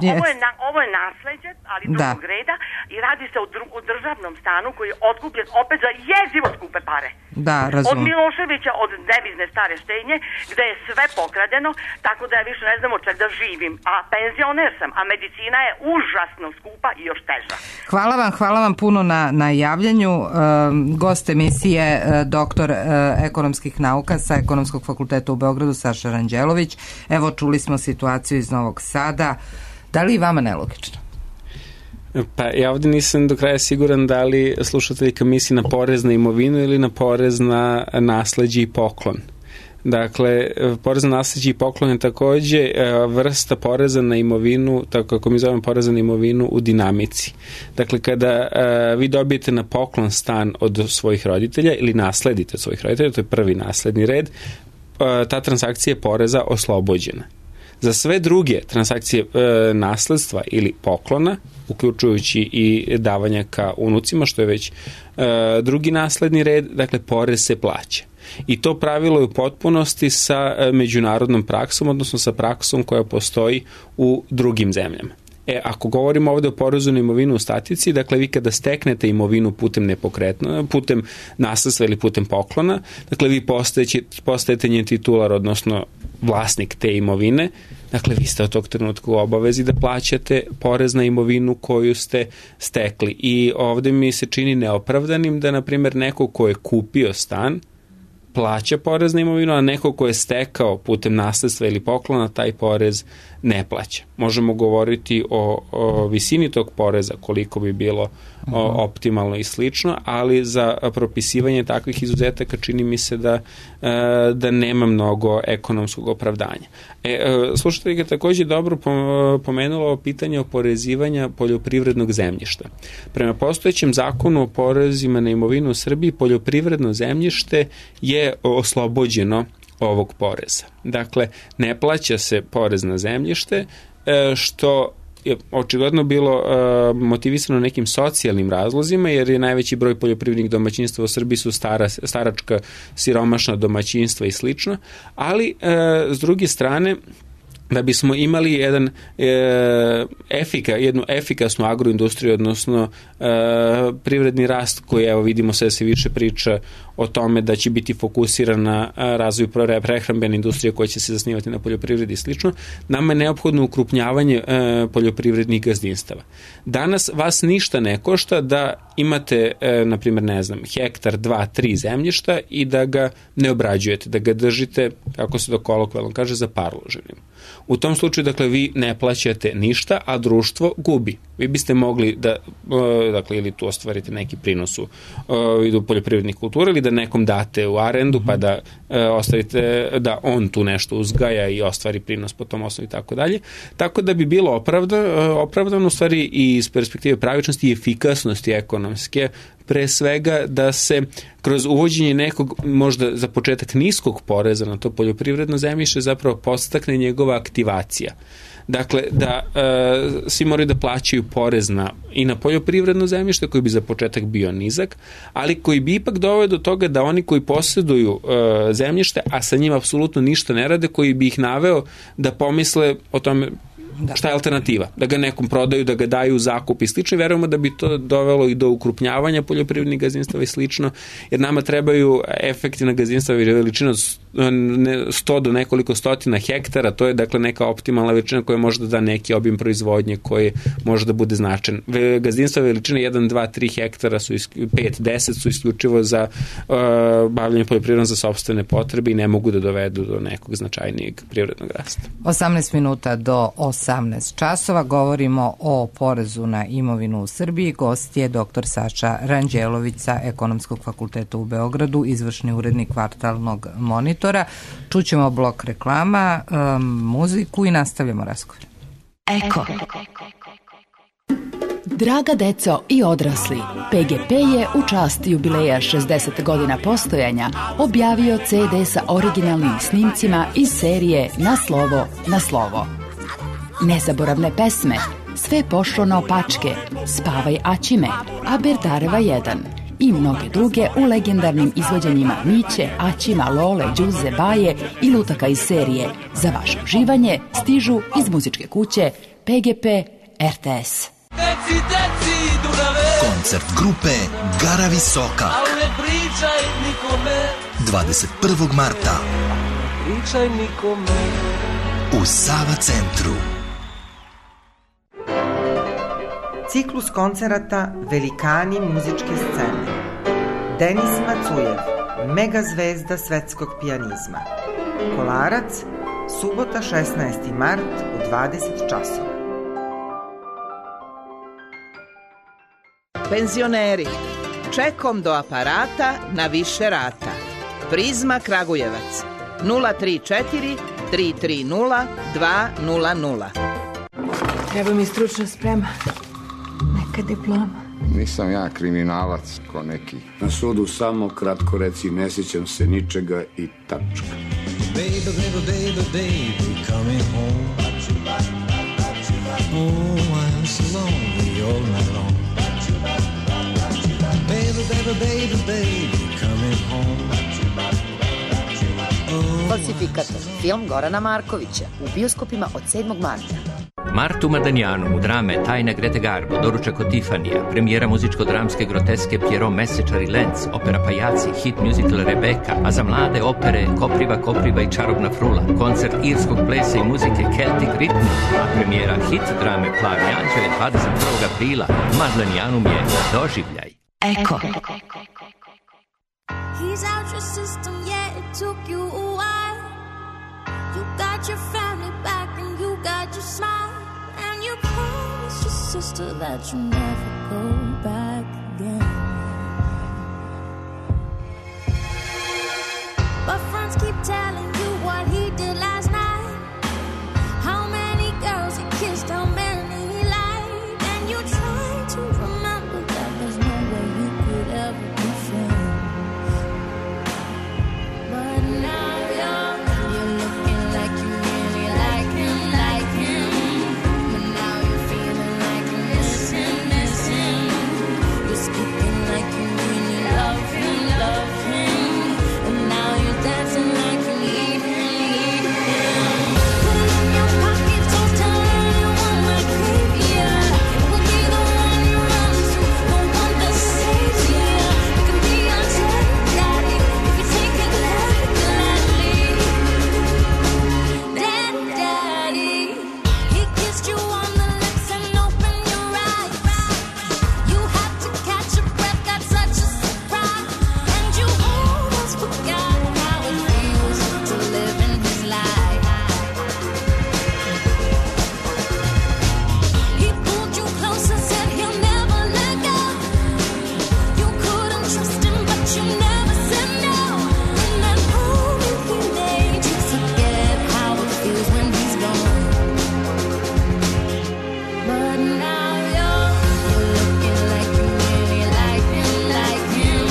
Yes. Ovo je, na, ovo je nasleđe, ali drugog da. reda, i radi se o, dru, o državnom stanu koji je otkupljen opet za jezivo skupe pare. Da, razumem. Od Miloševića, od devizne stare štednje, gde je sve pokradeno, tako da ja više ne znam od čeg da živim. A penzioner sam, a medicina je užasno skupa i još teža. Hvala vam, hvala vam puno na, na javljanju. E, gost emisije, e, doktor e, ekonomskih nauka sa Ekonomskog fakulteta u Beogradu, Saša Ranđelović. Evo, čuli smo situaciju iz Novog Sada. Da li je vama nelogično? Pa ja ovdje nisam do kraja siguran da li slušateljka misli na porez na imovinu ili na porez na nasleđe i poklon. Dakle, porez na nasleđe i poklon je takođe vrsta poreza na imovinu, tako kako mi zovemo poreza na imovinu u dinamici. Dakle, kada vi dobijete na poklon stan od svojih roditelja ili nasledite od svojih roditelja, to je prvi nasledni red, ta transakcija je poreza oslobođena. Za sve druge transakcije e, nasledstva ili poklona, uključujući i davanja ka unucima, što je već e, drugi nasledni red, dakle, porez se plaća. I to pravilo je u potpunosti sa e, međunarodnom praksom, odnosno sa praksom koja postoji u drugim zemljama. E, ako govorimo ovde o porezu na imovinu u statici, dakle, vi kada steknete imovinu putem nepokretno, putem nasledstva ili putem poklona, dakle, vi postajete, postajete njen titular, odnosno vlasnik te imovine, dakle, vi ste od tog trenutka u obavezi da plaćate porez na imovinu koju ste stekli. I ovde mi se čini neopravdanim da, na primjer, neko ko je kupio stan, plaća porez na imovinu, a neko ko je stekao putem nasledstva ili poklona, taj porez ne plaća. Možemo govoriti o, o visini tog poreza, koliko bi bilo o, optimalno i slično, ali za propisivanje takvih izuzetaka čini mi se da, da nema mnogo ekonomskog opravdanja. E, slušateljka takođe dobro pomenula o pitanje oporezivanja poljoprivrednog zemljišta. Prema postojećem zakonu o porezima na imovinu u Srbiji, poljoprivredno zemljište je oslobođeno ovog poreza. Dakle, ne plaća se porez na zemljište, što je očigledno bilo motivisano nekim socijalnim razlozima, jer je najveći broj poljoprivrednih domaćinstva u Srbiji su stara, staračka, siromašna domaćinstva i slično, ali s druge strane, da bismo imali jedan e, efika, jednu efikasnu agroindustriju, odnosno e, privredni rast koji, evo, vidimo sve se više priča o tome da će biti fokusiran na razvoj prehrambene industrije koja će se zasnivati na poljoprivredi i slično, nama je neophodno ukrupnjavanje e, poljoprivrednih gazdinstava. Danas vas ništa ne košta da imate, e, na primjer, ne znam, hektar, dva, tri zemljišta i da ga ne obrađujete, da ga držite, kako se to kolokvijalno kaže, za parloženim. U tom slučaju, dakle, vi ne plaćate ništa, a društvo gubi. Vi biste mogli da, dakle, ili tu ostvarite neki prinos u vidu poljoprivrednih kultura, ili da nekom date u arendu, pa da ostavite, da on tu nešto uzgaja i ostvari prinos po tom osnovu i tako dalje. Tako da bi bilo opravdano, opravdano u stvari i iz perspektive pravičnosti i efikasnosti ekonomske, pre svega da se kroz uvođenje nekog, možda za početak niskog poreza na to poljoprivredno zemljište, zapravo podstakne njegova aktivacija. Dakle, da e, svi moraju da plaćaju porez na, i na poljoprivredno zemljište koji bi za početak bio nizak, ali koji bi ipak doveo do toga da oni koji posjeduju e, zemljište, a sa njima apsolutno ništa ne rade, koji bi ih naveo da pomisle o tome Da. Šta je alternativa? Da ga nekom prodaju, da ga daju u zakup i slično. Verujemo da bi to dovelo i do ukrupnjavanja poljoprivrednih gazdinstava i slično, jer nama trebaju efektivna gazdinstva veličina sto do nekoliko stotina hektara, to je, dakle, neka optimalna veličina koja može da da neki obim proizvodnje koji može da bude značajan. Gazdinstva veličine jedan, dva, tri hektara su pet, deset su isključivo za uh, bavljanje poljoprivredom za sopstvene potrebe i ne mogu da dovedu do nekog značajnijeg privrednog rasta. osamnaest minuta do osamnaest časova govorimo o porezu na imovinu u Srbiji. Gost je doktor Saša Ranđelović sa Ekonomskog fakulteta u Beogradu, izvršni urednik Kvartalnog monitora. Čućemo blok reklama, um, muziku i nastavljamo razgovor. Eko. Draga deco i odrasli, P G P je u čast jubileja šezdeset godina postojanja objavio ce de sa originalnim snimcima iz serije Na slovo, na slovo. Nezaboravne pesme, Sve pošlo na opačke, Spavaj Aćime, Aberdareva jedan i mnoge druge u legendarnim izvođenjima Miće, Aćima, Lole, Đuze, Baje i lutaka iz serije. Za vaše uživanje stižu iz muzičke kuće P G P R T S. Deci, deci, Dunave. Koncert grupe Gara Visoka. Al ne pričaj nikome. dvadeset prvog marta. Pričaj nikome. U Sava centru. Ciklus koncerata Velikani muzičke scene. Denis Macujev, mega zvezda svetskog pijanizma. Kolarac, subota šesnaesti mart u dvadeset časova. Penzioneri, čekom do aparata na više rata. Prizma Kragujevac, nula tri četiri tri tri nula dva nula nula. Treba mi stručna sprema, neka diploma. Nisam ja kriminalac ko neki. Na sudu samo kratko reci, ne sjećam se ničega i tačka. Baby, baby, baby, baby, coming home. Oh, I'm so lonely all night long. Baby, baby, baby, baby, coming home. Falsifikator, film Gorana Markovića, u bioskopima od sedmog marta. Martu Mardanjanu u drame Tajna Grete Garbo, doručak od Tifanija, premijera muzičko-dramske groteske Pierrot Mesečar i Lenz, opera Pajaci, hit musical Rebeka, a za mlade opere Kopriva, Kopriva i Čarobna frula, koncert irskog plesa i muzike Celtic Rhythm, a premijera hit drame Plavi anđele dvadeset prvog aprila. Mardanjanum je doživljaj. Eko. He's out your system, yeah, it took you a while. You got your family back and you got your smile. And you promised your sister that you never go back again. But friends keep telling you what he did last night. How many girls he kissed, how many he lied. And you try to remember that there's no way you could ever be friends. But now you're, you're looking like you really like him, like him. But now you're feeling like you miss him, miss him. You're speaking like you really love him, love him. And now you're dancing like you need him, need him. Put it in your pocket, don't tell anyone like yeah. It will be the one you run to, the one that saves you. It can be your daddy if you take it gladly. Daddy, daddy, he kissed you on the lips and opened your eyes. You had to catch your breath, got such a surprise. And you almost forgot how it feels to live in his life. He pulled you closer, said he'll never let go. You couldn't trust him, but you never said no. And that moment he made you forget how it feels when he's gone. But now you're, you're looking like you really like him, like him.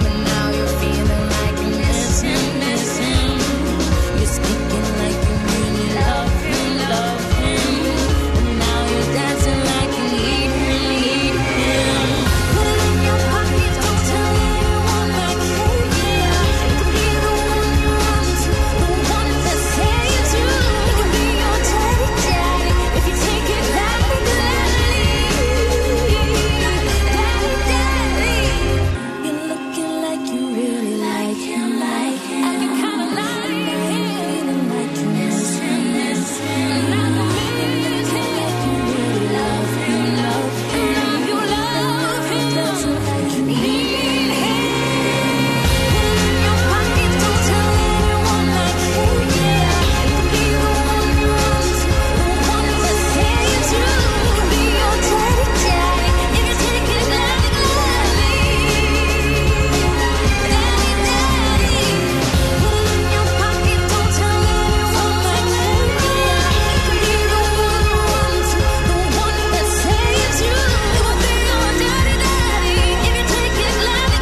But now you're feeling like you miss him, miss him. You're speaking like you really love him, love him. And now you're dancing like you need him, need him. Put it in your pocket, don't tell anyone like yeah. It could be the one you run to, the one that saves you. It could be your daddy, daddy, if you take it gladly, gladly. Daddy, daddy, you're looking like you really like him, like him. And you kinda like him, like you miss him, miss him. And now you miss him, like you really love him, love him. And you love him, like you need him. Put it in your pocket, don't tell anyone like yeah. It could be the one you run to, the one that saves you. It could be your daddy, daddy, if you take it gladly, gladly. Daddy, daddy, put it in your pocket, don't tell anyone like yeah. It could be the one you run to, the one that saves you. It will be your daddy, daddy, if you take it gladly,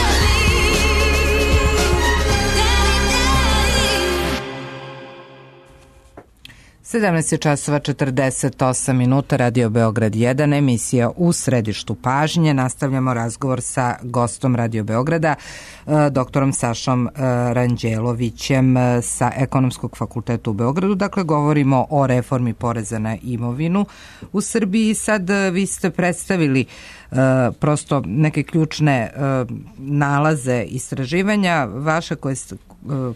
gladly. Daddy, daddy. sedamnaest je časova četrdeset osam minuta, Radio Beograd jedan, emisija u središtu pažnje. Nastavljamo razgovor sa gostom Radio Beograda, e, doktorom Sašom e, Ranđelovićem e, sa Ekonomskog fakulteta u Beogradu. Dakle, govorimo o reformi poreza na imovinu u Srbiji. Sad e, vi ste predstavili e, prosto neke ključne e, nalaze istraživanja vaše koje ste, e,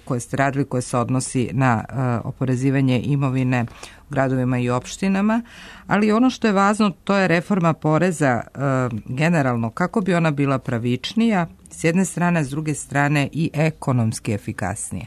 koje ste radili, koje se odnosi na e, oporezivanje imovine u gradovima i opštinama, ali ono što je važno, to je reforma poreza e, generalno, kako bi ona bila pravičnija s jedne strane, s druge strane i ekonomski efikasnije.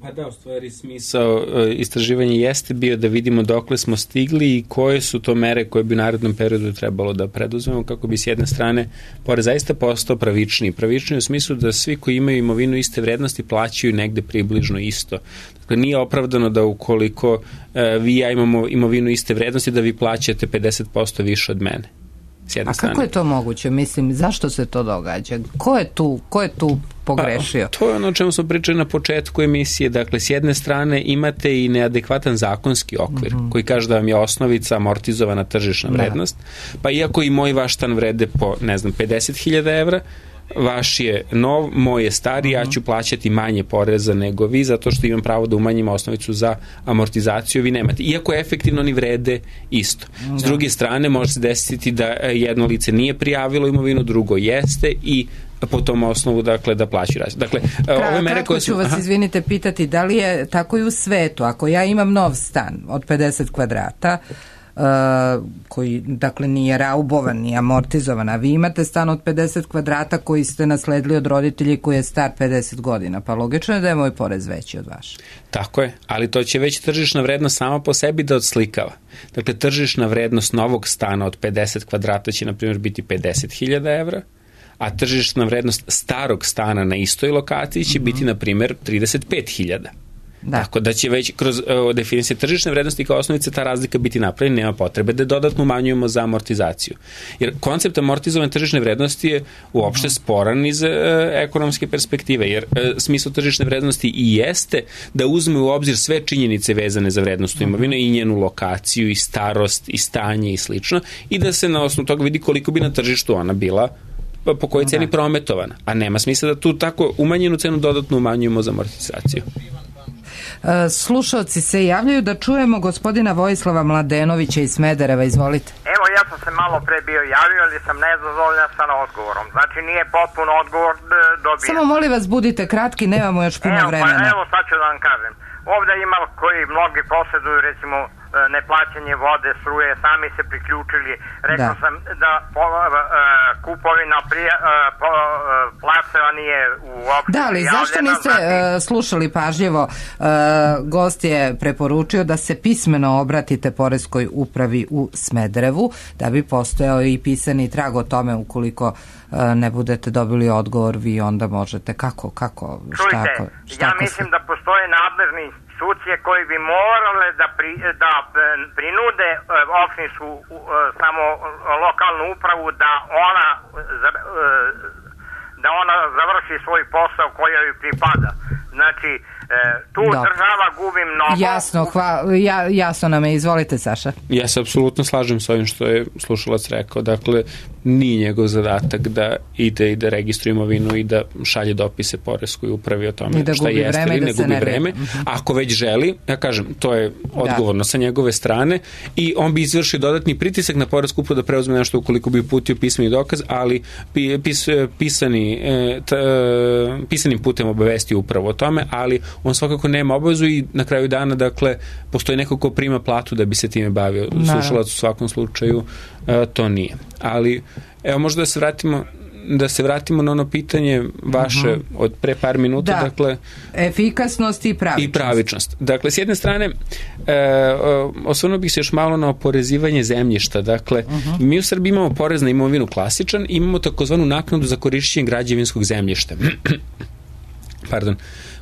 Pa da, u stvari smisao istraživanja jeste bio da vidimo dokle smo stigli i koje su to mere koje bi u narednom periodu trebalo da preduzmemo kako bi s jedne strane porez zaista postao pravičniji. Pravičniji u smislu da svi koji imaju imovinu iste vrednosti plaćaju negde približno isto. Dakle, nije opravdano da ukoliko e, vi i ja imamo imovinu iste vrednosti da vi plaćate pedeset posto više od mene. A strane. Kako je to moguće? Mislim, zašto se to događa? Ko je tu, ko je tu pogrešio? Pa, to je ono o čemu smo pričali na početku emisije. Dakle, s jedne strane imate i neadekvatan zakonski okvir mm-hmm. koji kaže da vam je osnovica amortizovana tržišna vrednost. Da. Pa iako i moj vaš stan vrede po, ne znam, pedeset hiljada evra, vaš je nov, moj je stari, uh-huh. ja ću plaćati manje poreza nego vi, zato što imam pravo da umanjim osnovicu za amortizaciju, vi nemate. Iako efektivno oni vrede isto. Da. S druge strane, može se desiti da jedno lice nije prijavilo imovinu, drugo jeste i po tom osnovu, dakle, da plaći razliku. Dakle, Kra, ove mere koje su... ću vas, aha. izvinite, pitati, da li je tako i u svetu? Ako ja imam nov stan od pedeset kvadrata, Uh, koji, dakle, nije raubovan, nije amortizovan, a vi imate stan od pedeset kvadrata koji ste nasledili od roditelji koji je star pedeset godina, pa logično je da je moj porez veći od vaš. Tako je, ali to će već tržišna vrednost sama po sebi da odslikava. Dakle, tržišna vrednost novog stana od pedeset kvadrata će, na primjer, biti pedeset hiljada evra, a tržišna vrednost starog stana na istoj lokaciji će mm-hmm. biti, na primjer, trideset pet hiljada. Da. Tako da će već kroz uh, definicije tržišne vrednosti kao osnovice ta razlika biti napravljena, nema potrebe da dodatno umanjujemo za amortizaciju. Jer koncept amortizovane tržišne vrednosti je uopšte sporan iz uh, ekonomske perspektive, jer uh, smisao tržišne vrednosti i jeste da uzme u obzir sve činjenice vezane za vrednost imovine i njenu lokaciju i starost i stanje i slično i da se na osnovu toga vidi koliko bi na tržištu ona bila po kojoj ceni prometovana. A nema smisla da tu tako umanjenu cenu dodatno umanjujemo za amortizaciju. Slušalci se javljaju da čujemo gospodina Vojislava Mladenovića iz Smedereva, izvolite. Evo, ja sam se malo pre bio javio, ali sam nezadovoljan sa odgovorom. Znači, nije potpuno odgovor dobijen. Samo molim vas, budite kratki, nemamo još puno evo, vremena. Pa, evo, sad ću da vam kažem. Ovde ima koji mnogi posjeduju, recimo, neplaćanje vode, struje, sami se priključili. Rekao da. sam da po, uh, kupovina prija, uh, po, uh, placeva nije uopšte. Da, ali zašto niste uh, slušali pažljivo? Uh, gost je preporučio da se pismeno obratite poreskoj upravi u Smederevu, da bi postojao i pisani trag o tome ukoliko uh, ne budete dobili odgovor, vi onda možete. Kako? kako šta, Čujte, šta, ja mislim se... da postoje nadležni institucije koji bi morale da, pri, da prinude uh, opštinsku uh, samo lokalnu upravu da ona uh, da ona završi svoj posao koji joj pripada. Znači, tu Dobre. država gubi mnogo. Jasno, hva, ja, jasno nam je. Izvolite, Saša. Ja se apsolutno slažem s ovim što je slušalac rekao. Dakle, nije njegov zadatak da ide i da registruje imovinu i da šalje dopise poreskoj upravi o tome šta jeste ili ne gubi vreme. Uh-huh. Ako već želi, ja kažem, to je odgovorno da. sa njegove strane i on bi izvršio dodatni pritisak na poresku upravu da preuzme nešto ukoliko bi uputio pismeni dokaz, ali pis, pisani, t, pisanim putem obavesti upravo o tome, ali on svakako nema obavezu i na kraju dana, dakle, postoji neko ko prima platu da bi se time bavio. Slušalac u svakom slučaju to nije. Ali, evo, možda da se vratimo da se vratimo na ono pitanje vaše uh-huh. od pre par minuta, da. dakle... Efikasnost i pravičnost. I pravičnost. Dakle, s jedne strane, e, osvrnuo bih se još malo na oporezivanje zemljišta. Dakle, uh-huh. mi u Srbiji imamo porez na imovinu klasičan, imamo takozvanu naknadu za korišćenje građevinskog zemljišta. Pardon.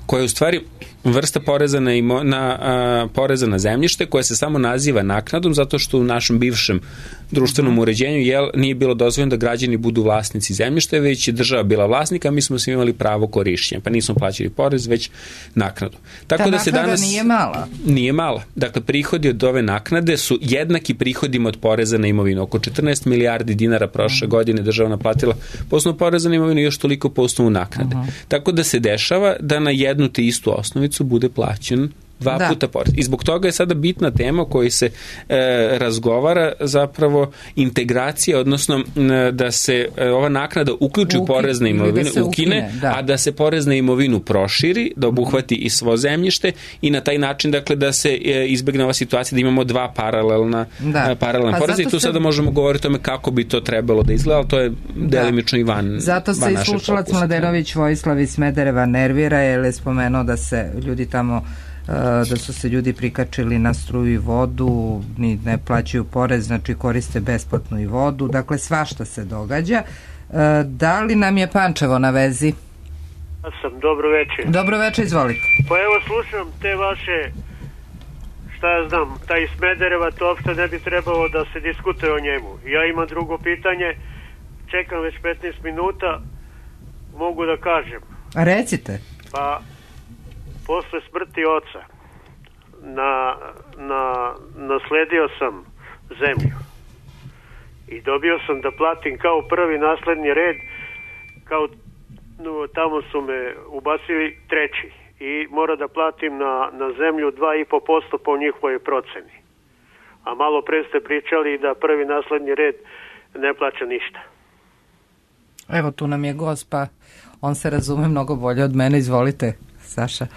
Koja je u stvari vrsta poreza na, imo, na a, poreza na zemljište koja se samo naziva naknadom zato što u našem bivšem društvenom uređenju jel, nije bilo dozvoljeno da građani budu vlasnici zemljišta, već je država bila vlasnika, a mi smo svi imali pravo korišćenja, pa nismo plaćali porez, već naknadu. Tako Ta da se danas nije mala. Nije mala. Dakle, prihodi od ove naknade su jednaki prihodima od poreza na imovinu. Oko četrnaest milijardi dinara prošle godine država naplatila po osnovu poreza na imovinu i još toliko po osnovu naknade. Uh-huh. Tako da se dešava da na jednu te istu osnovicu bude plaćen dva Da. puta porez. I zbog toga je sada bitna tema o kojoj se e, razgovara zapravo integracija, odnosno m, da se e, ova naknada uključi u Uki- porez na ili da imovinu, se ukine, ukine, da. a da se porez na imovinu proširi, da obuhvati i svo zemljište i na taj način dakle da se e, izbegne ova situacija da imamo dva paralelna Da. e, paralelna Pa poreza i zato tu se- sada možemo govoriti o tome kako bi to trebalo da izgleda, ali to je delimično i van, Zato se van i našeg slušalac fokusa. Mladenović Vojislav iz Smedereva nervira jer je spomenuo da se ljudi tamo uh, da su se ljudi prikačili na struju i vodu, ni ne plaćaju porez, znači koriste besplatnu i vodu, dakle svašta se događa. Uh, da li nam je Pančevo na vezi? Ja sam, dobro večer. Dobro večer, izvolite. Pa evo slušam te vaše, šta ja znam, taj Smedereva, to uopšte ne bi trebalo da se diskutuje o njemu. Ja imam drugo pitanje, čekam već petnaest minuta, mogu da kažem. Recite. Pa, posle smrti oca, na, na, nasledio sam zemlju. I dobio sam da platim kao prvi nasledni red, kao no, tamo su me ubacili treći. I mora da platim na, na zemlju dva i po posto po njihovoj proceni. A malo pre ste pričali da prvi nasledni red ne plaća ništa. Evo tu nam je gost, pa on se razume mnogo bolje od mene, izvolite, Saša.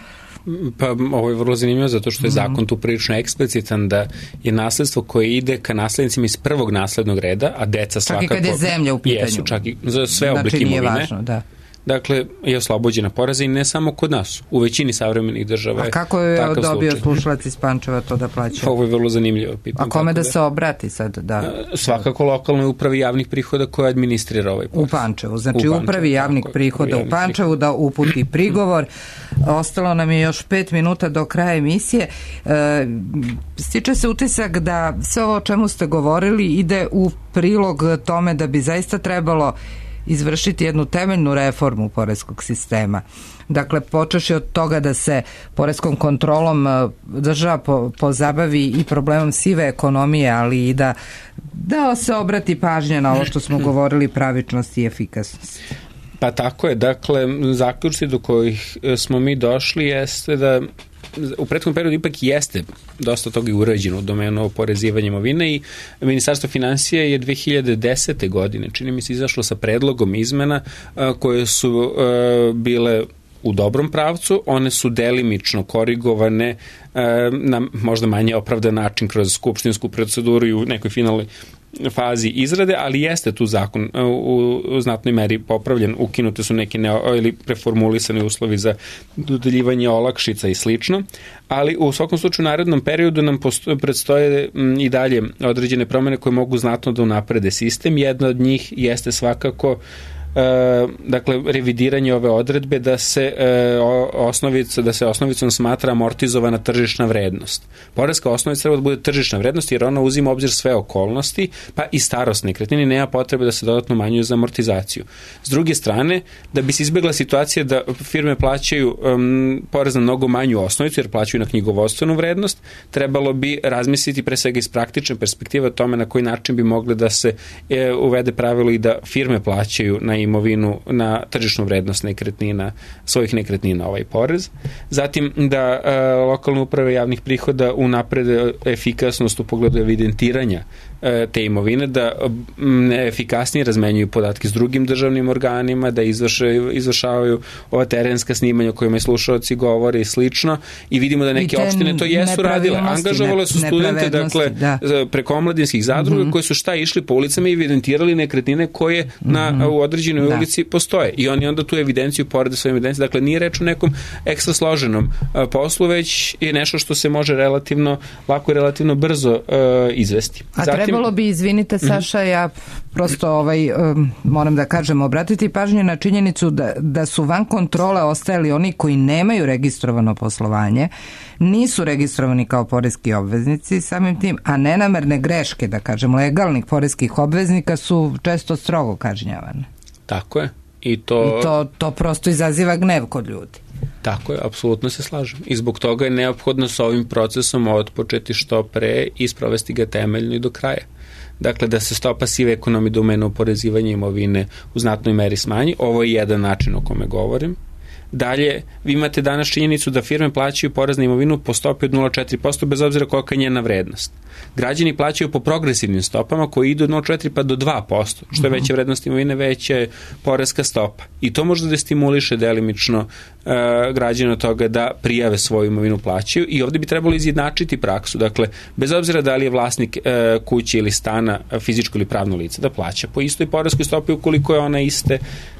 Pa ovo je vrlo zanimljivo zato što je Mhm. zakon tu prilično eksplicitan da je nasledstvo koje ide ka naslednicima iz prvog naslednog reda, a deca Čak i svakako... kad je zemlja u pitanju. Jesu, čak i za sve Znači, oblike nije imovine. važno, da. Dakle, je oslobođena poreza i ne samo kod nas. U većini savremenih država A je kako je takav dobio slučaj. slušalac iz Pančeva to da plaća? Ovo je vrlo zanimljivo pitanje. A kome tako da se obrati sad? Da. Svakako lokalnoj upravi javnih prihoda koja administrira ovaj porez. U Pančevu, znači U Pančevu, upravi javnih tako je, prihoda upravi u Pančevu da uputi prigovor. Ostalo nam je još pet minuta do kraja emisije. E, stiče se utisak da sve ovo o čemu ste govorili ide u prilog tome da bi zaista trebalo izvršiti jednu temeljnu reformu poreskog sistema. Dakle, počeši od toga da se poreskom kontrolom e, država po, pozabavi i problemom sive ekonomije, ali i da, da se obrati pažnja na ovo što smo govorili, pravičnost i efikasnost. Pa tako je, dakle, zaključci do kojih e, smo mi došli jeste da u prethodnom periodu ipak jeste dosta toga i urađeno u domenu oporezivanja imovine i Ministarstvo finansija je dve hiljade desete. godine, čini mi se, izašlo sa predlogom izmena a, koje su a, bile u dobrom pravcu, one su delimično korigovane a, na možda manje opravdan način kroz skupštinsku proceduru i u nekoj finalnoj fazi izrade, ali jeste tu zakon u, u znatnoj meri popravljen, ukinute su neke ne, ili preformulisani uslovi za dodeljivanje olakšica i slično, ali u svakom slučaju u narednom periodu nam posto, predstoje m, i dalje određene promene koje mogu znatno da unaprede sistem. Jedna od njih jeste svakako E, dakle, revidiranje ove odredbe da se e, osnovica, da se osnovicom smatra amortizovana tržišna vrednost. Poreska osnovica treba da bude tržišna vrednost jer ona uzima u obzir sve okolnosti, pa i starost nekretnine, nema potrebe da se dodatno umanjuje za amortizaciju. S druge strane, da bi se izbjegla situacija da firme plaćaju um, porez na mnogo manju osnovicu jer plaćaju na knjigovodstvenu vrednost, trebalo bi razmisliti pre svega iz praktične perspektive o tome na koji način bi mogli da se e, uvede pravilo i da firme plaćaju na imovinu, na tržišnu vrednost nekretnina, svojih nekretnina ovaj porez. Zatim da e, lokalne uprave javnih prihoda unaprede efikasnost u pogledu evidentiranja e, te imovine, da m, efikasnije razmenjuju podatke s drugim državnim organima, da izvršaju, izvršavaju ova terenska snimanja o kojima i slušalci govore i slično i vidimo da neke opštine to jesu radile. Angažovale su studente, dakle, da. preko omladinskih zadruga mm-hmm. koje su šta išli po ulicama i evidentirali nekretnine koje na, mm-hmm. u određenoj da. ulici postoje. I oni onda tu evidenciju porede svoje evidencije. Dakle, nije reč o nekom ekstra složenom uh, poslu, već je nešto što se može relativno, lako i relativno brzo uh, izvesti. A Zatim, trebalo bi, izvinite Saša, ja prosto ovaj, um, moram da kažem, obratiti pažnju na činjenicu da, da su van kontrole ostajali oni koji nemaju registrovano poslovanje, nisu registrovani kao poreski obveznici samim tim, a nenamerne greške, da kažem, legalnih poreskih obveznika su često strogo kažnjavane. Tako je. I to, I to, to prosto izaziva gnev kod ljudi. Tako je, apsolutno se slažem. I zbog toga je neophodno sa ovim procesom otpočeti što pre i sprovesti ga temeljno i do kraja. Dakle, da se stopa sive ekonomije domena oporezivanja imovine u znatnoj meri smanji. Ovo je jedan način o kome govorim. Dalje, vi imate danas činjenicu da firme plaćaju porez na imovinu po stopi od nula zarez četiri posto bez obzira kolika je njena vrednost. Građani plaćaju po progresivnim stopama koji idu od nula zarez četiri pa do dva posto. Što je veća vrednost imovine, veća je poreska stopa. I to može da stimuliše delimično uh, građana od toga da prijave svoju imovinu plaćaju i ovde bi trebalo izjednačiti praksu. Dakle, bez obzira da li je vlasnik uh, kuće ili stana fizičko ili pravno lice, da plaća po istoj poreskoj stopi ukoliko je ona iste,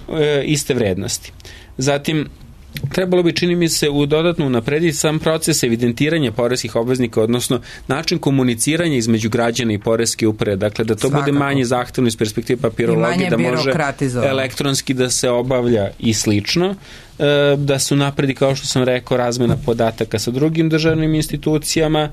uh, iste vrednosti. Zatim, trebalo bi, čini mi se, u dodatno unaprediti sam proces evidentiranja poreskih obveznika, odnosno način komuniciranja između građana i poreske uprave, dakle da to Svakako. bude manje zahtevno iz perspektive papirologije, da može elektronski da se obavlja i slično, da se unapredi, kao što sam rekao, razmena podataka sa drugim državnim institucijama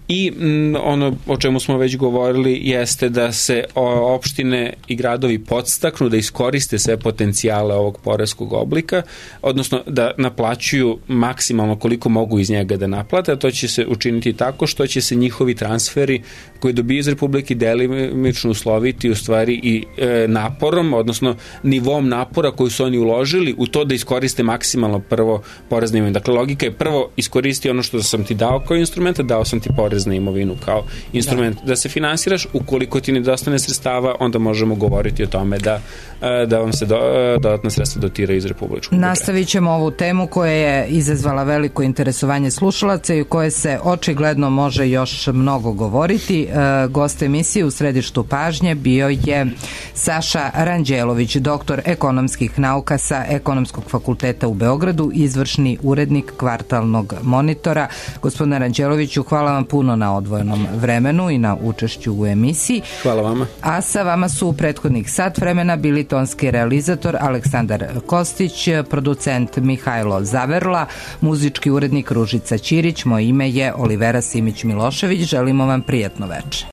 i m, ono o čemu smo već govorili jeste da se o, opštine i gradovi podstaknu da iskoriste sve potencijale ovog poreskog oblika, odnosno da naplaćuju maksimalno koliko mogu iz njega da naplate, a to će se učiniti tako što će se njihovi transferi koji dobiju iz Republike delimično usloviti u stvari i e, naporom, odnosno nivom napora koji su oni uložili u to da iskoriste maksimalno prvo porez na imovinu. Dakle, logika je prvo iskoristi ono što sam ti dao kao instrument, a dao sam ti porez na imovinu kao instrument da, da se finansiraš. Ukoliko ti nedostane sredstava, onda možemo govoriti o tome da, da vam se do, dodatna sredstva dotiraju iz republičkog budžeta. Nastavit ćemo ovu temu koja je izazvala veliko interesovanje slušalaca i u koje se očigledno može još mnogo govoriti. Gost emisije u središtu pažnje bio je Saša Ranđelović, doktor ekonomskih nauka sa Ekonomskog fakulteta u Beogradu, izvršni urednik Kvartalnog monitora. Gospodine Ranđeloviću, hvala vam puno na odvojenom vremenu i na učešću u emisiji. Hvala vama. A sa vama su u prethodnih sat vremena bili tonski realizator Aleksandar Kostić, producent Mihajlo Zaverla, muzički urednik Ružica Ćirić, moje ime je Olivera Simić Milošević. Želimo vam prijatno veče.